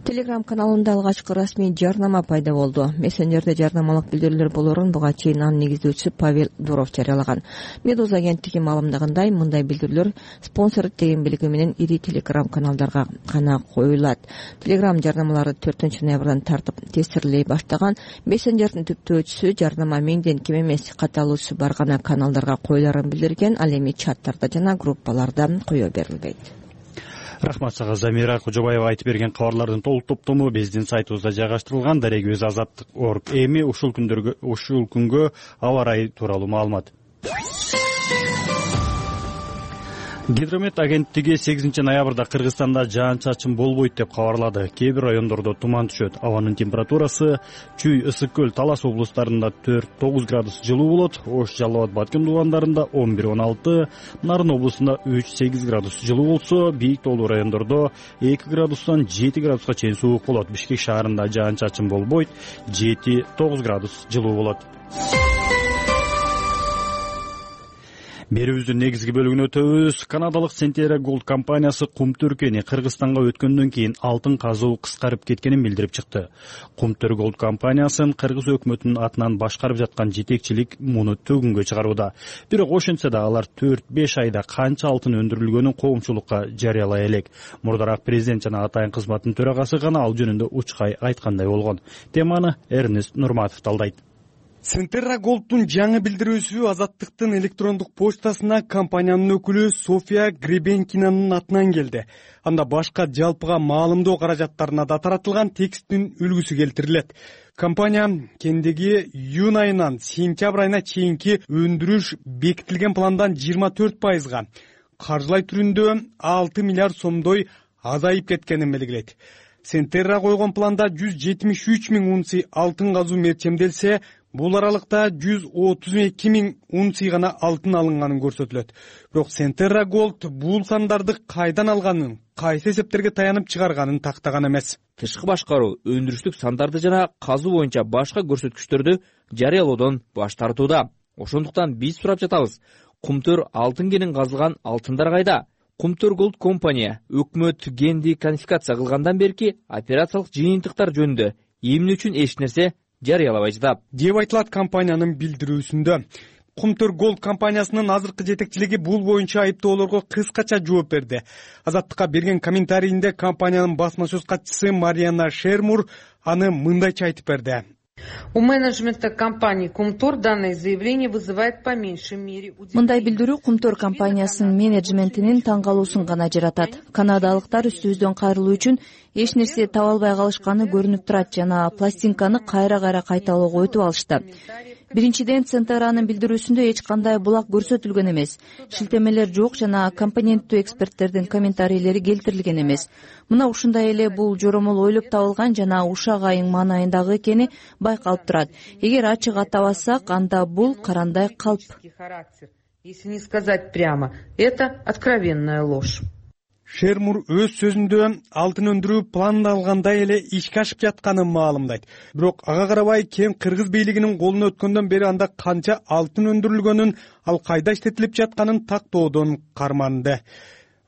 Telegram каналында алгачкы расмий жарнама пайда болду. Мессенджерде жарнамалык билдирүүлөр болорун буга чейин анын негиздөөчүсү Павел Дуров жарыялаган. Медуза агенттиги маалымдагандай, мындай билдирүүлөр спонсор деген белги менен ири Telegram каналдарга гана коюлат. Telegram жарнамалары төртүнчү ноябрдан тартып тестирлей баштаган. Мессенджердин түптөөчүсү жарнама миңден кем эмес каталуусу бар гана каналдарга коюларын билдирген, ал эми чаттарда жана группаларда кое берилбейт. Рахмат сага Замира Кожобаева айтып берген кабарлардын толук топтому биздин сайтыбызда жайгаштырылган. Дарегөз азаттык точка орг. Эми ушул күндөргө ушул күнгө аба ырайы тууралуу маалымат. Гидромет агенттиги сегизинчи ноябрда Кыргызстанда жаан-чачын болбойт деп кабарлады. Кээ бир райондордо туман түшөт. Абанын температурасы Чүй, Ысык көл, Талас облустарында төрт тогуз градус жылуу болот. Ош, Жалал Абад, Баткен дубандарында он бир он алты, Нарын облусунда үч сегиз градус жылуу болсо, бийик тоолуу райондордо эки градустан жети градуска чейин суук болот. Бишкек шаарында жаан-чачын болбойт, жети тогуз градус жылуу болот. Берүүбүздүн негизги бөлүгүнө өтөбүз. Канадалык Centerra Gold компаниясы Кумтөркени Кыргызстанга өткөндөн кийин алтын казуу кыскарып кеткенин билдирип чыкты. Кумтөр Gold компаниясын Кыргыз өкмөтүнүн атынан башкарып жаткан жетекчилик муну төгүнгө чыгарууда. Бирок ошентсе да алар төрт беш айда канча алтын өндүрүлгөнүн коомчулукка жарыялай элек. Мурдараак президент жана атайын кызматтын төрагасы гана ал жөнүндө учкай айткандай болгон. Теманы Эрнест Нурматов талдайт. Centerra Gold'ун жаңы билдирүүсү Азаттыктын электрондук почтасына компаниянын өкүлү София Гребенкинанын атынан келди. Анда башка жалпыга маалымдоо каражаттарына да таратылган тексттин үлгүсү келтирилет. Компания кендеги июнь айынан сентябрь айына чейинки өндүрүш бекитилген пландан жыйырма төрт пайызга, каржылай түрүндө алты миллиард сомдой азайып кеткенин белгилейт. Centerra койгон планда жүз жетимиш үч миң унция алтын казуу мерчемделсе, бул аралыкта жүз отуз эки миң унция гана алтын алынганын көрсөтүлөт. Бирок Centerra Gold бул сандарды кайдан алганын, кайсы эсептерге таянып чыгарганын тактаган эмес. Тышкы башкаруу өндүрүштүк сандарды жана казуу боюнча башка көрсөткүчтөрдү жарыялоодон баш тартууда. Ошондуктан биз сурап жатабыз. Кумтөр алтын кенин казылган алтындар кайда? Кумтөр Gold компания өкмөт генди конфискация кылгандан берки операциялык жыйынтыктар жөнүндө эмне үчүн эч нерсе жарыялабай жатат деп айтылат компаниянын билдирүүсүндө. Кумтөр Gold компаниясынын азыркы жетекчилиги бул боюнча айыптоолорго кыскача жооп берди. Азаттыкка берген комментарийинде компаниянын басма сөз катчысы Мариана Шермур аны мындайча айтып берди. У менеджмента компании Кумтор данное заявление вызывает по меньшей мере удивление. Мындай билдирүү Кумтор компаниясынын менеджментинин таң калуусун гана жаратат. Канадалыктар үстүбүздөн кайрылуу үчүн эч нерсе таба албай калышканы көрүнүп турат жана пластинканы кайра-кайра кайталоого өтүп алышты. биринчиден центеранын билдирүүсүндө эч кандай булак көрсөтүлгөн эмес, шилтемелер жок жана компоненттүү эксперттердин комментарийлери келтирилген эмес. Мына ушундай эле бул жоромол ойлоп табылган жана ушак айың маанайындагы экени байкалып турат. Эгер ачык атабасак, анда бул карандай калп. Если не сказать прямо, это откровенная ложь. Шермур өз сөзүндө алтын өндүрүү пландалгандай эле ишке ашып жатканын маалымдайт. Бирок ага карабай кем кыргыз бийлигинин колуна өткөндөн бери анда канча алтын өндүрүлгөнүн, ал кайда иштетилип жатканын тактоодон карманды.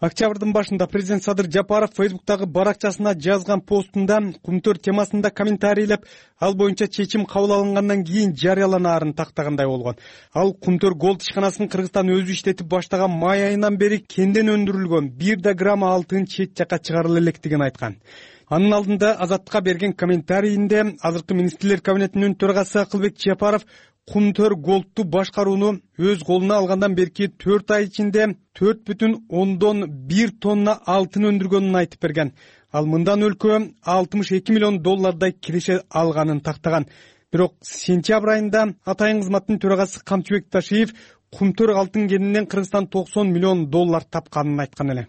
Октябрдын башында президент Садыр Жапаров Фейсбуктагы баракчасына жазган постунда кумтөр темасында комментарийлеп, ал боюнча чечим кабыл алынгандан кийин жарыяланаарын тактагандай болгон. Ал кумтөр голд ишканасынын Кыргызстан өзү иштетип баштаган май айынан бери кенден өндүрүлгөн бир да грамм алтын чет жакка чыгарыла электигин айткан. Анын алдында Азаттыкка берген комментарийинде азыркы министрлер кабинетинин төрагасы Акылбек Жапаров кумтөр голдту башкарууну өз колуна алгандан берки төрт ай ичинде төрт бүтүн ондон бир тонна алтын өндүргөнүн айтып берген. Ал мындан өлкө алтымыш эки миллион доллардай киреше алганын тактаган. Бирок сентябрь айында атайын кызматтын төрагасы Камчыбек Ташиев кумтөр алтын кенинен Кыргызстан токсон миллион доллар тапканын айткан эле.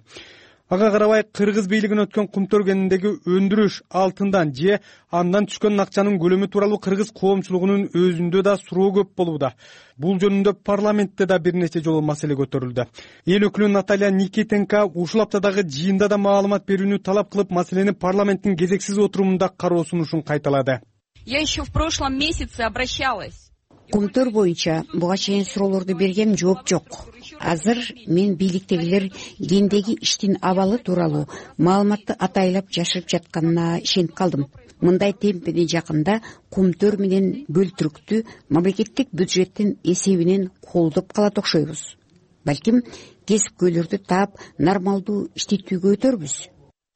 Ага карабай Кыргыз бийлигине өткөн кумтөр кениндеги өндүрүш алтындан же андан түшкөн акчанын көлөмү тууралуу кыргыз коомчулугунун өзүндө да суроо көп болууда. Бул жөнүндө парламентте да бир нече жолу маселе көтөрүлдү. Эл өкүлү Наталья Никитенко ушул аптадагы жыйында да маалымат берүүнү талап кылып, маселени парламенттин кезексиз отурумунда кароо сунушун кайталады. Я еще в прошлом месяце обращалась. Кумтөр боюнча буга чейин суроолорду бергем, жооп жок. Азыр мен бийликтегилер кендеги иштин абалы тууралуу маалыматты атайлап жашырып жатканына ишенип калдым. Мындай темпени жакында кумтөр менен бөлтүрүктү мамлекеттик бюджеттин эсебинен колдоп калат окшойбуз. Балким кесипкөйлөрдү таап нормалдуу иштетүүгө өтөрбүз.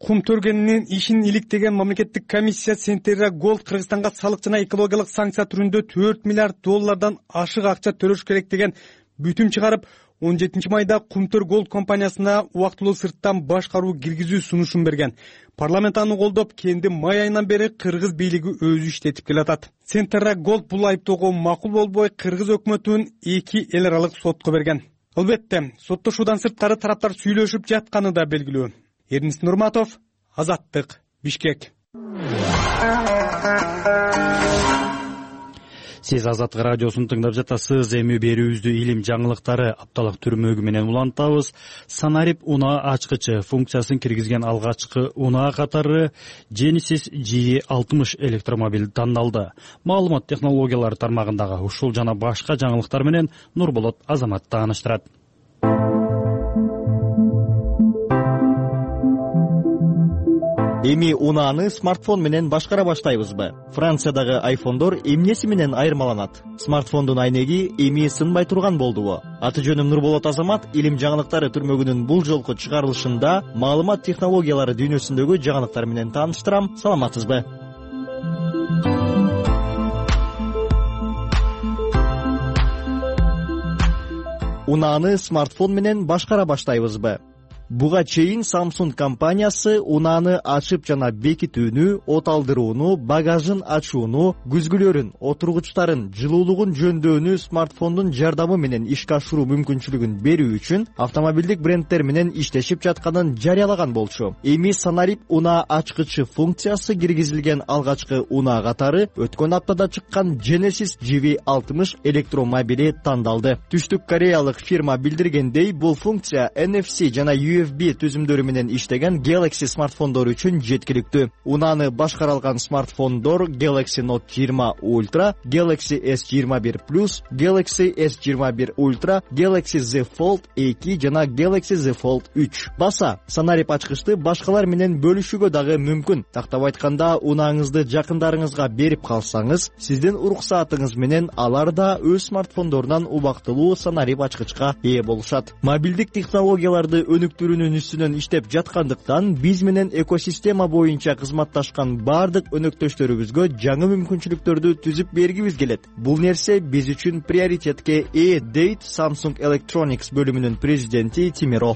Кумтөр кенинин ишин иликтеген мамлекеттик комиссия Центерра Голд Кыргызстанга салык жана экологиялык санкция түрүндө төрт миллиард доллардан ашык акча төлөш керек деген бүтүм чыгарып, он жетинчи майда Кумтөр Голд компаниясына убактылуу сырттан башкаруу киргизүү сунушун берген. Парламент аны колдоп, кенди май айынан бери кыргыз бийлиги өзү иштетип келатат. Центерра Голд бул айыптоого макул болбой, кыргыз өкмөтүн эки эл аралык сотко берген. Албетте, соттошуудан сырткары тараптар сүйлөшүп жатканы да белгилүү. Эрнис Нурматов, Азаттык, Бишкек. Сиз Азаттык радиосун тыңдап жатасыз. Эми берүүбүздү илим жаңылыктары апталык түрмөгү менен улантабыз. Санарип унаа ачкычы функциясын киргизген алгачкы унаа катары Genesis G алтымыш электромобиль тандалды. Маалымат технологиялары тармагындагы ушул жана башка жаңылыктар менен Нурболот Азамат тааныштырат. Эми унааны смартфон менен башкара баштайбызбы? Франциядагы айфондор эмнеси менен айырмаланат? Смартфондун айнеги эми сынбай турган болдубу? Аты жөнүм Нурболот Азамат, илим жаңылыктары түрмөгүнүн бул жолку чыгарылышында маалымат технологиялары дүйнөсүндөгү жаңылыктар менен тааныштырам. Саламатсызбы? Унааны смартфон менен башкара баштайбызбы? Буга чейин Samsung компаниясы унааны ачып жана бекитүүнү, от алдырууну, багажын ачууну, күзгүлөрүн, отургучтарын, жылуулугун жөндөөнү смартфондун жардамы менен ишке ашыруу мүмкүнчүлүгүн берүү үчүн автомобилдик бренддер менен иштешип жатканын жарыялаган болчу. Эми Санарип унаа ачкычы функциясы киргизилген алгачкы унаа катары өткөн аптада чыккан Genesis G V алтымыш электромобили тандалды. Түштүк кореялык фирма билдиргендей, бул функция N F C жана U F B түзүмдөрү менен иштеген Galaxy смартфондор үчүн жеткиликтүү. Унааны башкаралган смартфондор Galaxy Note жыйырма Ultra, Galaxy S жыйырма бир Plus, Galaxy S жыйырма бир Ultra, Galaxy Z Fold эки жана Galaxy Z Fold үч. Баса, Санарип ачкычты башкалар менен бөлүшүүгө дагы мүмкүн. Тактап айтканда, унааңызды жакындарыңызга берип калсаңыз, сиздин уруксаатыңыз менен алар да өз смартфондорунан убактылуу Санарип ачкычка ээ болушат. Мобилдик технологияларды өнүктүрүүнүн үстүнөн иштеп жаткандыктан, биз менен экосистема боюнча кызматташкан бардык өнөктөштөрүбүзгө жаңы мүмкүнчүлүктөрдү түзүп бергибиз келет. Бул нерсе биз үчүн приоритетке ээ, дейт Samsung Electronics бөлүмүнүн президенти Тимиро.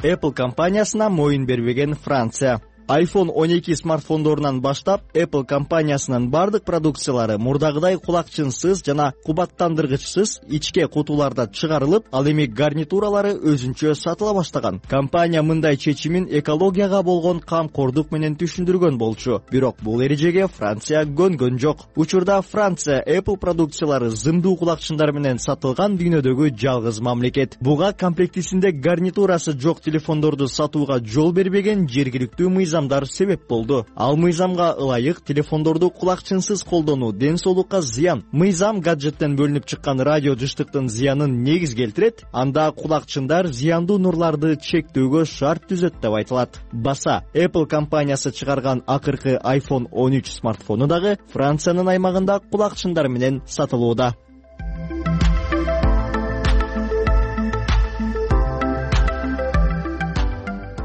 Apple компаниясына моюн бербеген Франция. айфон он эки смартфондорунан баштап Apple компаниясынын бардык продукциялары мурдагыдай кулакчынсыз жана кубаттандыргычсыз ичке кутуларда чыгарылып, ал эми гарнитуралары өзүнчө сатыла баштаган. Компания мындай чечимин экологияга болгон камкордук менен түшүндүргөн болчу. Бирок бул эрежеге Франция көнгөн жок. Учурда Франция Apple продукциялары зымдуу кулакчындар менен сатылган дүйнөдөгү жалгыз мамлекет. Буга комплектисинде гарнитурасы жок телефондорду сатууга жол бербеген жергиликтүү мыйзамдар себеп болду. Ал мыйзамга ылайык телефондорду кулакчынсыз колдонуу ден соолукка зыян. Мыйзам гаджеттен бөлүнүп чыккан радио жыштыктын зыянын негиз келтирет, анда кулакчындар зыяндуу нурларды чектөөгө шарт түзөт деп айтылат. Баса Apple компаниясы чыгарган акыркы айфон он үч смартфону дагы Франциянын аймагында кулакчындар менен сатылууда.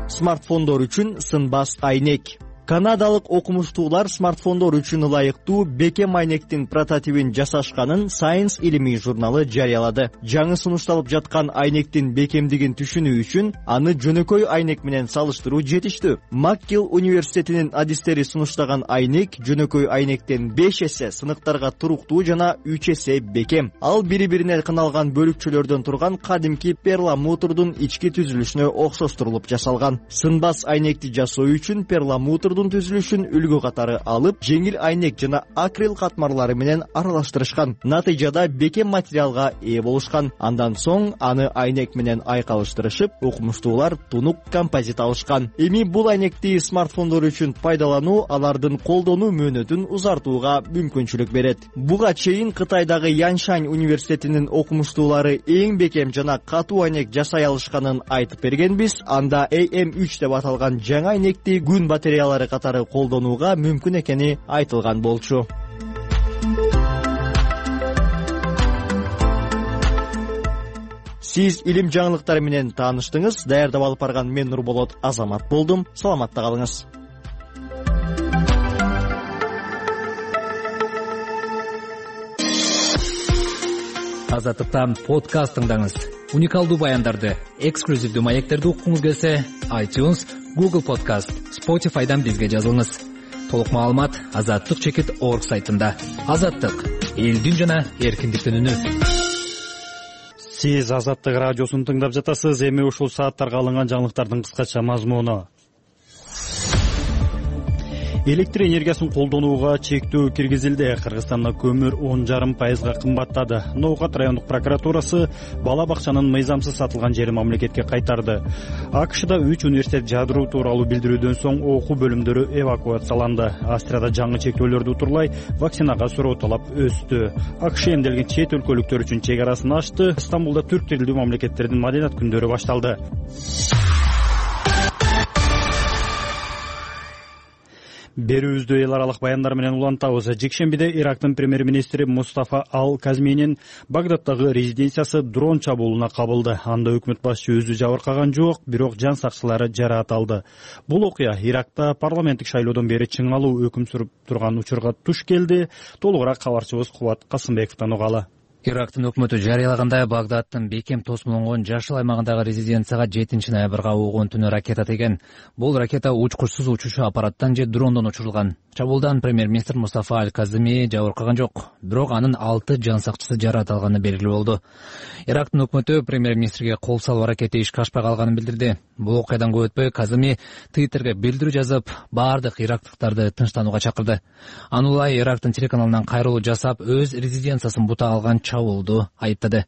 Смартфондор үчүн сынбас айнек. Канадалык окумуштуулар смартфондор үчүн ылайыктуу бекем айнектин прототипин жасашканын Science илимий журналы жарыялады. Жаңы сунушталып жаткан айнектин бекемдигин түшүнүү үчүн аны жөнөкөй айнек менен салыштыруу жетиштүү. Макгилл университетинин адистери сунуштаган айнек жөнөкөй айнектен беш эсе сыныктарга туруктуу жана үч эсе бекем. Ал бири-бирине кыналган бөлүкчөлөрдөн турган кадимки перламутрдун ички түзүлүшүнө окшоштурулуп жасалган. Сынбас айнекти жасоо үчүн перламутрдун түзүлүшүн үлгү катары алып, жеңил айнек жана акрил катмарлары менен аралаштырышкан. Натыйжада бекем материалга ээ болушкан. Андан соң аны айнек менен айкалыштырышып, окумуштуулар тунук композит алышкан. Эми бул айнекти смартфондор үчүн пайдалануу алардын колдонуу мөөнөтүн узартууга мүмкүнчүлүк берет. Буга чейин Кытайдагы Яншань университетинин окумуштуулары эң бекем жана катуу айнек жасай алышканын айтып бергенбиз. Анда A M үч деп аталган жаңы айнекти күн батареялары катары колдонууга мүмкүн экени айтылган болчу. Сиз илим жаңылыктары менен тааныштыңыз. Даярдап алып барган мен Нурболот Азамат болдум. Саламатта калыңыз. Азаттыктан подкаст тыңдаңыз. Уникалдуу баяндарды, эксклюзивдүү маектерди уккуңуз келсе, iTunes, Google Podcast, Spotify'дан бизге жазылыңыз. Толук маалымат азаттык чекит точка орг сайтында. Азаттык — элдин жана эркиндиктин үнү. Сиз Азаттык радиосун тыңдап жатасыз. Эми ушул сааттарга алынган жаңылыктардын кыскача мазмуну. Электр энергиясын колдонууга чектөө киргизилди. Кыргызстанда көмүр он жарым пайызга кымбаттады. Ноокат райондук прокуратурасы бала бакчанын мыйзамсыз сатылган жерин мамлекетке кайтарды. АКШда үч университет жабдыруу тууралуу билдирүүдөн соң окуу бөлүмдөрү эвакуацияланды. Австрияда жаңы чектөөлөрдү утурлай вакцинага суроо талап өстү. АКШ эмделген чет өлкөлүктөр үчүн чек арасын ачты. Стамбулда түрк тилдүү мамлекеттердин маданият күндөрү башталды. Берүүбүздү эл аралык баяндар менен улантабыз. Жекшембиде Ирактын премьер-министри Мустафа Ал-Казминин Багдадтагы резиденциясы дрон чабуулуна кабылды. Анда өкмөт башчы өзү жабыркаган жок, бирок жан сакчылары жараат алды. Бул окуя Иракта парламенттик шайлоодон бери чыңалуу өкүм сүрүп турган учурга туш келди. Толугураак кабарчыбыз Кубат Касымбековдон угалы. Ирактын өкмөтү жарыялагандай Багдадтын бекем тосмолонгон жашыл аймагындагы резиденцияга жетинчи ноябрга угун түнү ракета теген. Бул ракета учкучсуз учуучу аппараттан же дрондон учурулган. Чабуулдан премьер-министр Мустафа Ал-Казми жабыркаган жок, бирок анын алты жан сакчысы жараат алганы белгилүү болду. Ирактын өкмөтү премьер-министрге кол салуу аракети ишке ашпай калганын билдирди. Бул окуядан көп өтпөй Казми Твиттерге билдирүү жазып, бардык ирактыктарды тынчтанууга чакырды. Анулай Ирактын телеканалынан кайрылуу жасап, өз резиденциясын бута алган чабуулду айыптады.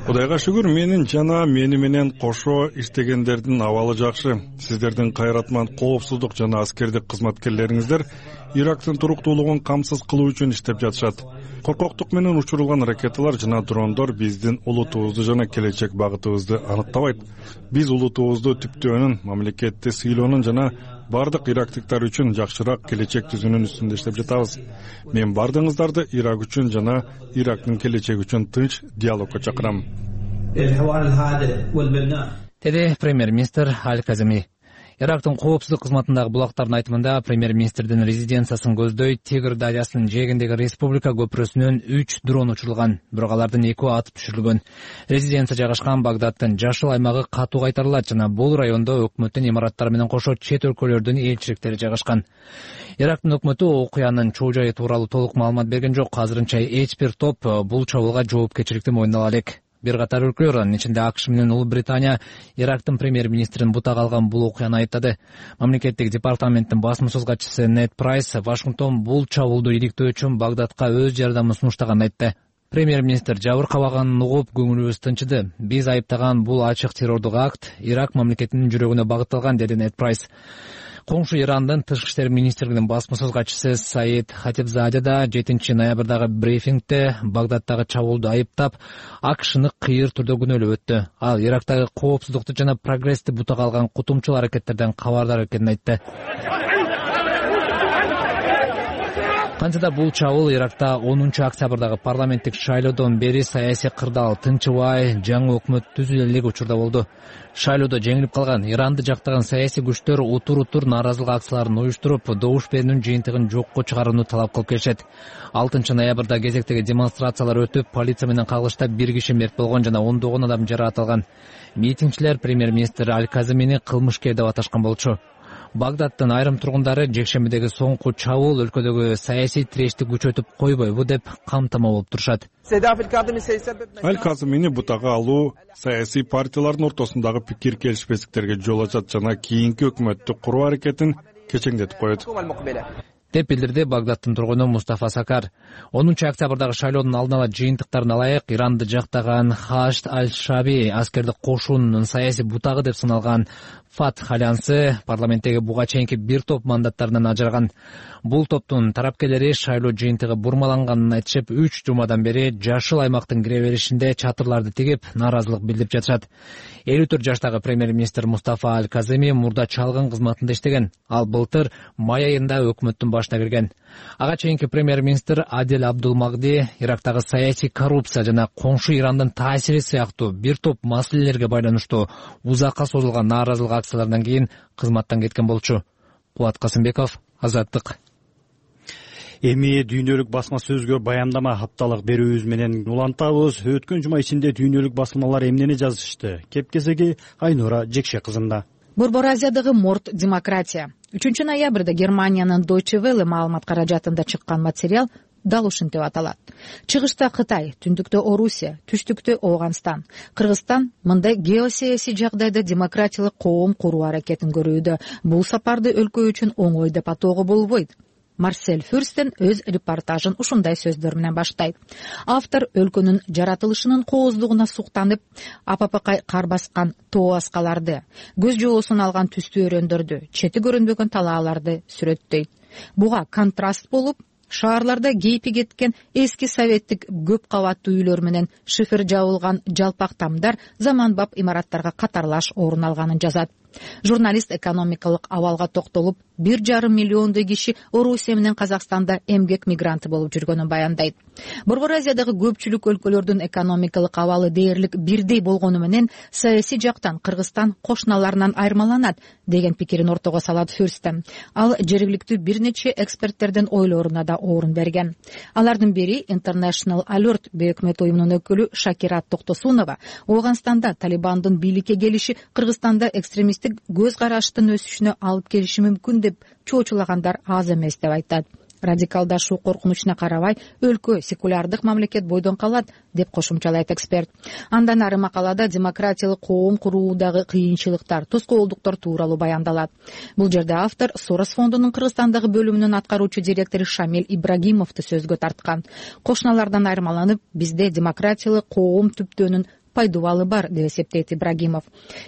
Кудайга шүгүр, менин жана мени менен кошо иштегендердин абалы жакшы. Сиздердин кайратман коопсуздук жана аскердик кызматкерлериңиздер Ирактын туруктуулугун камсыз кылуу үчүн иштеп жатышат. Коркоктук менен учурулган ракеталар жана дрондор биздин улутубузду жана келечек багытыбызды аныктабайт. Биз улутубузду түптөөнүн, мамлекетти сыйлоонун жана бардык ирактыктар үчүн жакшыраак келечек түзүүнүн үстүндө иштеп жатабыз. Мен бардыгыңыздарды Ирак үчүн жана Ирактын келечеги үчүн тынч диалогго чакырам. Деди премьер-министр Ал-Казми. Ирактын коопсуздук кызматындагы булактардын айтымында премьер-министрдин резиденциясын көздөй Тигр дарыясынын жээгиндеги республика көпүрөсүнөн үч дрон учурулган, бирок алардын экөө атып түшүрүлгөн. Резиденция жайгашкан Багдадтын жашыл аймагы катуу кайтарылат жана бул райондо өкмөттүн имараттары менен кошо чет өлкөлөрдүн элчиликтери жайгашкан. Ирактын өкмөтү окуянын чоо жайы тууралуу толук маалымат берген жок. Азырынча эч бир топ бул чабуулга жоопкерчиликти мойнуна ала элек. Бир катар өлкөлөр, анын ичинде АКШ менен Улуу Британия, Ирактын премьер-министрин бутага алган бул окуяны айыптады. Мамлекеттик департаменттин басма сөз катчысы Нед Прайс Вашингтон бул чабуулду иликтөө үчүн Багдадка өз жардамын сунуштаганын айтты. Премьер-министр жабыр кабаганын угуп көңүлүбүз тынчыды. Биз айыптаган бул ачык террордук акт Ирак мамлекетинин жүрөгүнө багытталган, деди Нед Прайс. Коңшу Ирандын тышкы иштер министрлигинин басма сөз катчысы Саид Хатибзаде да жетинчи ноябрдагы брифингде Багдадтагы чабуулду айыптап, АКШны кыйыр түрдө күнөөлөп өттү. Ал Ирактагы коопсуздукту жана прогрессти бутага алган кутумчул аракеттерден кабардар экенин айтты. Кантсе да бул чабуул Иракта онунчу октябрдагы парламенттик шайлоодон бери саясий кырдаал тынчыбай, жаңы өкмөт түзүлө элек учурда болду. Шайлоодо жеңилип калган Иранды жактаган саясий күчтөр утур-утур нааразылык акцияларын уюштуруп, добуш берүүнүн жыйынтыгын жокко чыгарууну талап кылып келишет. алтынчы ноябрда кезектеги демонстрациялар өтүп, полиция менен кагылыштап бир киши мерт болгон жана ондогон адам жаракат. Митингчилер премьер-министр Аль-Казимини кылмышкер деп аташкан болчу. Багдадтын айрым тургундары жекшембидеги соңку чабуул өлкөдөгү саясий тирешти күчөтүп койбойбу деп камтама болуп турушат. Аль-Казимини бутага алуу саясий партиялардын ортосундагы пикир келишпестиктерге жол ачат жана кийинки өкмөттү куруу аракетин кечеңдетип коет, деп билдирди Багдадтын тургуну Мустафа Сакар. онунчу октябрдагы шайлоодун алдын ала жыйынтыктарына ылайык Иранды жактаган Хашд аль-Шаби аскердик кошуунун саясий бутагы деп саналган Фатх альянсы парламенттеги буга чейинки бир топ мандаттарынан ажыраган. Бул топтун тарапкерлери шайлоо жыйынтыгы бурмаланганын айтышып, үч жумадан бери жашыл аймактын кире беришинде чатырларды тигип, нааразылык билдирип жатышат. элүү төрт жаштагы премьер-министр Мустафа Аль-Казими мурда чалгын кызматында иштеген. Ал былтыр май айында өкмөттүн башына кирген. Ага чейинки премьер-министр Адил Абдулмагди Ирактагы саясий коррупция жана коңшу Ирандын таасири сыяктуу бир топ маселелерге байланыштуу узакка созулган нааразылык акциялардан кийин кызматтан кеткен болчу. Кубат Касымбеков, Азаттык. Эми дүйнөлүк басма сөзгө баяндама хапталык берүүбүз менен улантабыз. Өткөн жума ичинде дүйнөлүк басылмалар эмнени жазышты? Кепкезеги Айнура Жекше кызында. Борбор Азиядагы морт демократия. үчүнчү ноябрда Германиянын Deutsche Welle маалымат каражатында чыккан материал дал ушинтип деп аталат. Чыгышта Кытай, түндүктө Орусия, түштүктө Ооганстан, Кыргызстан мындай геосаясий жагдайда демократиялык коом куруу аракетин көрүүдө. Бул сапарды өлкө үчүн оңой деп атоого болбойт. Марсель Фюрстен өз репортажын ушундай сөздөр менен баштайт. Автор өлкөнүн жаратылышынын кооздугуна суктанып, апапакай кар баскан тоо аскаларды, көз жоосун алган түстүү өрөөндөрдү, чети көрүнбөгөн талааларды сүрөттөйт. Буга контраст болуп, шаарларда кейпи кеткен эски советтик көп кабаттуу үйлөр менен шифер жабылган жалпак тамдар заманбап имараттарга катарлаш орун алганын жазат. Журналист экономикалык абалга токтолуп, бир жарым миллиондой киши Орусия менен Казакстанда эмгек мигранты болуп жүргөнүн баяндайт. Борбор Азиядагы көпчүлүк өлкөлөрдүн экономикалык абалы дээрлик бирдей болгону менен саясий жактан Кыргызстан кошуналарынан айырмаланат деген пикирин ортого салат Фюрстен. Ал жергиликтүү бир нече эксперттердин ойлоруна да орун берген. Алардын бири International Alert бейөкмөт уюмунун өкүлү Шакира Токтосунова Ооганстанда Талибандын бийликке келиши Кыргызстанда экстремист көз караштын өсүшүнө алып келиши мүмкүн деп чоочулагандар аз эмес деп айтат. Радикалдашуу коркунучуна карабай, өлкө секулярдык мамлекет бойдон калат деп кошумчалайт эксперт. Андан ары макалада демократиялык коом куруудагы кыйынчылыктар, тоскоолдуктар тууралуу баяндалат. Бул жерде автор Сорос фондунун Кыргызстандагы бөлүмүнүн аткаруучу директору Шамил Ибрагимовду сөзгө тарткан. Кошуналардан айырмаланып, бизде демократиялык коом түптөөнүн пайдубалы бар деп эсептейт Ибрагимов.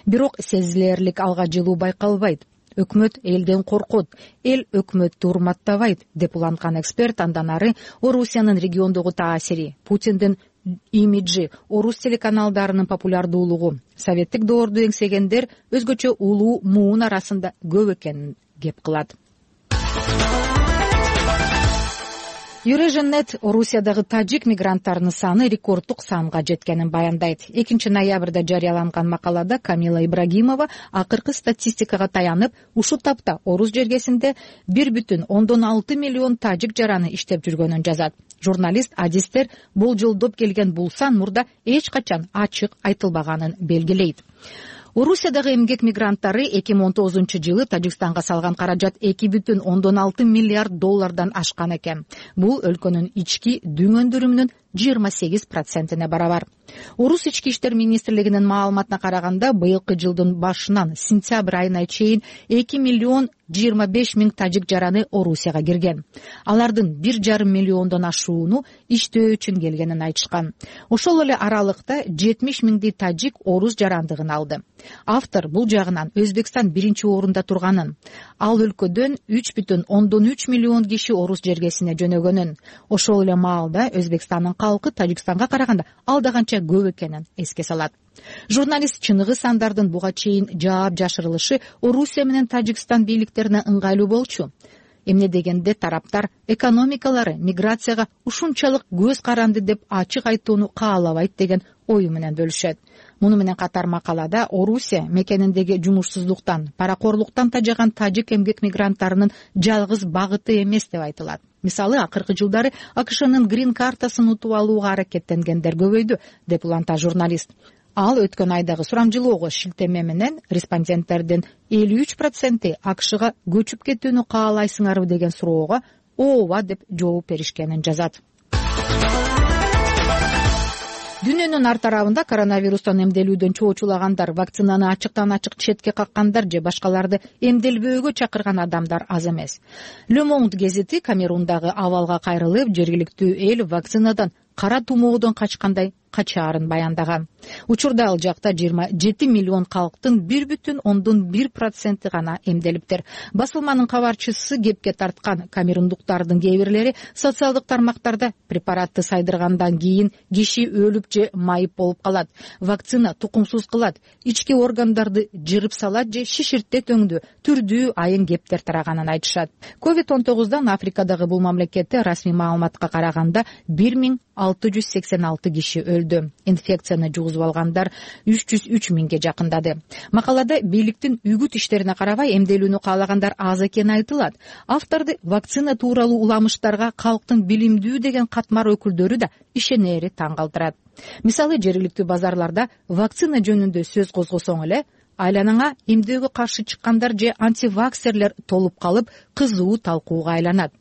Бирок сезилерлик алга жылуу байкалбайт. Өкмөт элден коркот, эл өкмөттү урматтабайт деп уланткан эксперт андан ары Орусиянын региондогу таасири, Путиндин имиджи, орус телеканалдарынын популярдуулугу, советтик доорду эңсегендер өзгөчө улуу муун арасында көп экенин кеп кылат. Eurasian.net Орусиядагы тажик мигранттарынын саны рекорддук санга жеткенин баяндайт. экинчи ноябрда жарыяланган макалада Камила Ибрагимова акыркы статистикага таянып, ушул тапта Орус жергесинде бир бүтүн ондон алты миллион тажик жараны иштеп жүргөнүн жазат. Журналист адистер болжолдоп келген бул сан мурда эч качан ачык айтылбаганын белгилейт. Орусиядагы эмгек мигранттары эки миң он тогузунчу жылы Тажикстанга салган каражат эки бүтүн ондон алты миллиард доллардан ашкан экен. Бул өлкөнүн ички дүң өндүрүмүнүн жыйырма сегиз процентине барабар. Орус ички иштер министрлигинин маалыматына караганда, быйылкы жылдын башынан сентябрь айына чейин эки миллион жыйырма беш миң тажик жараны Орусияга кирген. Алардын бир жарым миллиондон ашууну иштөө үчүн келгенин айтышкан. Ошол эле аралыкта жетимиш миңдей тажик орус жарандыгын алды. Автор бул жагынан Өзбекстан биринчи орунда турганын, ал өлкөдөн үч бүтүн ондон үч миллион киши орус жергесине жөнөгөнүн, ошол эле маалда Өзбекстандын калкы Тажикстанга караганда алда канча көп экенин эске салат. Журналист чыныгы сандардын буга чейин жаап жашырылышы Орусия менен Тажикстан бийликтерине ыңгайлуу болчу. Эмне дегенде тараптар экономикалары миграцияга ушунчалык көз каранды деп ачык айтууну каалабайт деген ою менен бөлүшөт. Муну менен катар макалада Орусия мекениндеги жумушсуздуктан, паракорлуктан тажаган тажик эмгек мигранттарынын жалгыз багыты эмес деп айтылат. Мисалы, акыркы жылдары АКШнын грин картасын утуп алууга аракеттенгендер көбөйдү, деп уланта журналист. Ал өткөн айдагы сурамжылоого шилтеме менен респонденттердин элүү үч проценти АКШга көчүп кетүүнү каалайсыңарбы деген суроого ооба деп жооп беришкенин жазат. Дүйнөнүн ар тарабында коронавирустан эмделүүдөн чоочулагандар, вакцинаны ачыктан ачык четке каккандар же башкаларды эмделбөөгө чакырган адамдар аз эмес. Le Monde гезити Камерундагы абалга кайрылып, жергиликтүү эл вакцинадан кара тумоодон качкандай качаарын баяндаган. Учурда ал жакта жыйырма жети миллион калктын бир бүтүн ондон бир проценти гана эмделиптир. Басылманын кабарчысы кепке тарткан камерундуктардын кээ бирлери социалдык тармактарда препаратты сайдыргандан кийин киши өлүп же майып болуп калат, вакцина тукумсуз кылат, ички органдарды жырып салат же шиширтет өңдү, түрдүү айын кептер тараганын айтышат. ковид он тогуздан Африкадагы бул мамлекетте расмий маалыматка караганда бир миң алты жүз сексен алты киши өлдү. Инфекцияны жугузуп алгандар үч жүз үч миңге жакындады. Макалада бийликтин үгүт иштерине карабай эмделүүнү каалагандар аз экени айтылат. Авторду вакцина тууралуу уламыштарга калктын билимдүү деген катмар өкүлдөрү да ишенери таң калтырат. Мисалы, жергиликтүү базарларда вакцина жөнүндө сөз козгосоң эле, айланаңа эмдөөгө каршы чыккандар же антиваксерлер толуп калып, кызуу талкууга айланат.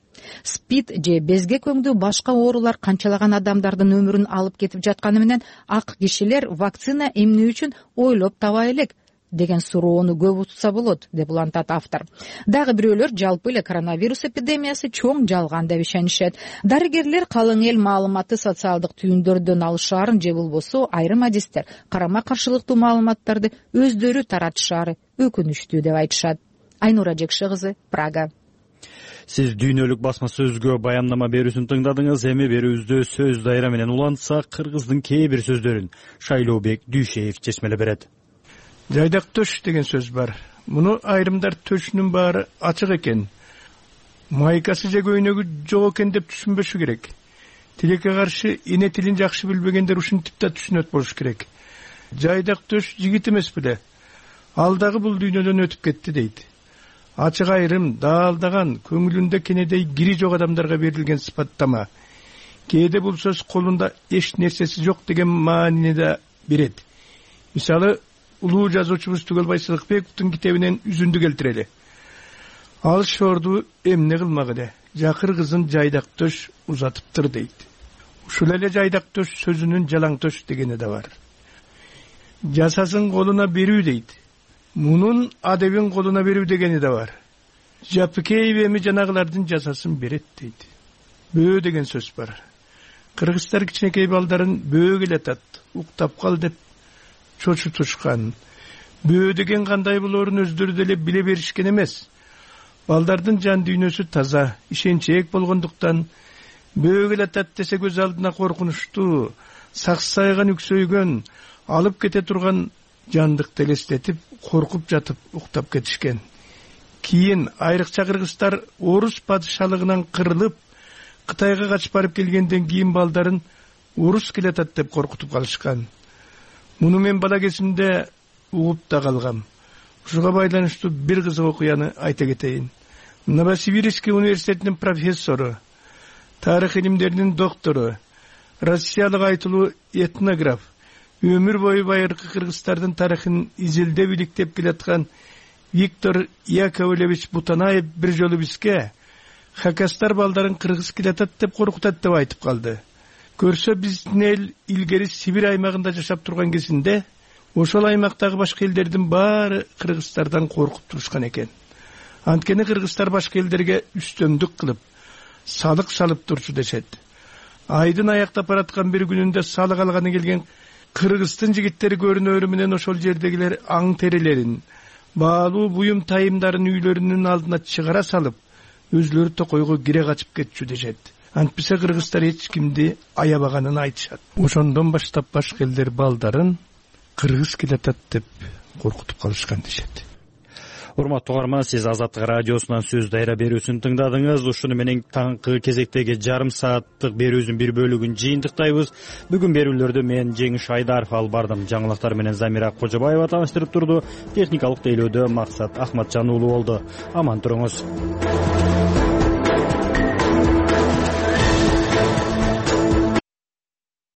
СПИД же безгек өңдүү башка оорулар канчалаган адамдардын өмүрүн алып кетип жатканы менен ак кишилер вакцина эмне үчүн ойлоп таба элек деген суроону көп утса болот, деп улантат автор. Дагы бирөөлөр жалпы эле коронавирус эпидемиясы чоң жалган деп ишенишет. Дарыгерлер калың эл маалыматты социалдык түйүндөрдөн алышаарын же болбосо айрым адистер карама каршылыктуу маалыматтарды өздөрү таратышаары өкүнүчтүү деп айтышат. Айнура Жекше кызы, Прага. Сиз дүйнөлүк басма сөзгө баяндама берүүсүн тыңдадыңыз. Эми берүүбүздө сөз дайра менен улантсак, кыргыздын кээ бир сөздөрүн Шайлообек Дүйшеев чечмелеп берет. Жайдак төш деген сөз бар. Муну айрымдар төшүнүн баары ачык экен, майкасы же көйнөгү жок экен деп түшүнбөшү керек. Тилекке каршы эне тилин жакшы билбегендер ушинтип да түшүнөт болуш керек. Жайдак төш жигит эмес беле, ал дагы бул дүйнөдөн өтүп кетти дейт. Ачык айрым даалдаган, көңүлүндө кенедей кири жок адамдарга берилген сыпаттама. Кээде бул сөз колунда эч нерсеси жок деген маанини да берет. Мисалы, улуу жазуучубуз Түгөл Байсалыкбековдун китебинен үзүндү келтирели. Ал шорду эмне кылмак эле, жакыр кызын жайдак төш узатыптыр дейт. Ушул эле жайдак төш сөзүнүн жалаң төш дегени да бар. Жасасын колуна берүү дейт. Мунун адебин колуна берүү дегени да бар. Жапыкеев эми жанагылардын жасасын берет дейт. Бөө деген сөз бар. Кыргыздар кичинекей балдарын бөө келатат, уктап кал деп чочутушкан. Бөө деген кандай болоорун өздөрү деле биле беришкен эмес. Балдардын жан дүйнөсү таза, ишенчээк болгондуктан бөө келатат десе көз алдына коркунучтуу, саксайган үксөйгөн, алып кете турган жандыкты элестетип, коркуп жатып уктап кетишкен. Кийин айрыкча кыргыздар орус падышалыгынан кырылып, Кытайга качып барып келгенден кийин балдарын урус келатат деп коркутуп калышкан. Муну мен бала кезимде угуп да калгам. Ушуга байланыштуу бир кызык окуяны айта кетейин. Новосибирский университетинин профессору, тарых илимдеринин доктору, Россиялык айтылуу этнограф, өмүр бою байыркы кыргыздардын тарыхын изилдеп иликтеп келаткан Виктор Яковлевич Бутанаев бир жолу бизге хакастар балдарын кыргыз келатат деп коркутат деп айтып калды. Көрсө биздин эл илгери Сибирь аймагында жашап турган кезинде ошол аймактагы башка элдердин баары кыргыздардан коркуп турушкан экен. Анткени кыргыздар башка элдерге үстөмдүк кылып, салык салып турчу дешет. Айдын аяктап бараткан бир күнүндө салык алганы келген кыргыздын жигиттери көрүнөрү менен ошол жердегилер аң терелерин, баалуу буюм тайымдарын үйлөрүнүн алдына чыгара салып, өзлөрү токойго кире качып кетчү дешет. Антпесе кыргыздар эч кимди аябаганын айтышат. Ошондон баштап башка элдер балдарын кыргыз келатат деп коркутуп калышкан дешет. Урматтуу угарман, сиз Азаттык радиосунан сөз дайра берүүсүн тыңдадыңыз. Ушуну менен таңкы кезектеги жарым сааттык берүүбүздүн бир бөлүгүн жыйынтыктайбыз. Бүгүн берүүлөрдү мен Жеңиш Айдаров алып бардым. Жаңылыктар менен Замира Кожобаева тааныштырып турду. Техникалык тейлөөдө Максат Ахматжан уулу болду. Аман туруңуз.